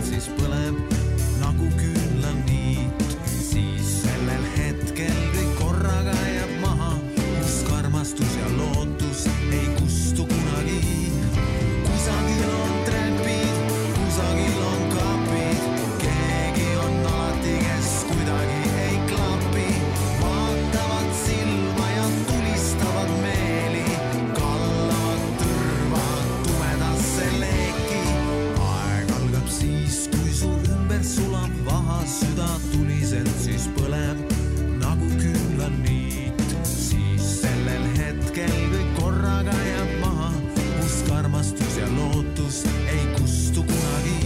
Siis põleb nagu küünlaniit, siis sellel hetkel kõik korraga jääb maha, kus karmastus ja lootus ei kustu kunagi. Kusagil on trepid, kusagil on kapid, keegi on alati, kes kuidagi ei klapi. Vaatavad silma ja tulistavad meeli, kallavad tõrvad tumedasse leeki. Siis, kui su ümber sulab vaha süda tuliselt, siis põleb nagu küünlaniit. Siis sellel hetkel kõik korraga jääb maha, kus karmastus ja lootus ei kustu kunagi.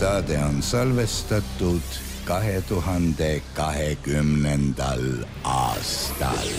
saade on salvestatud kahe tuhande kahekümnendal aastal.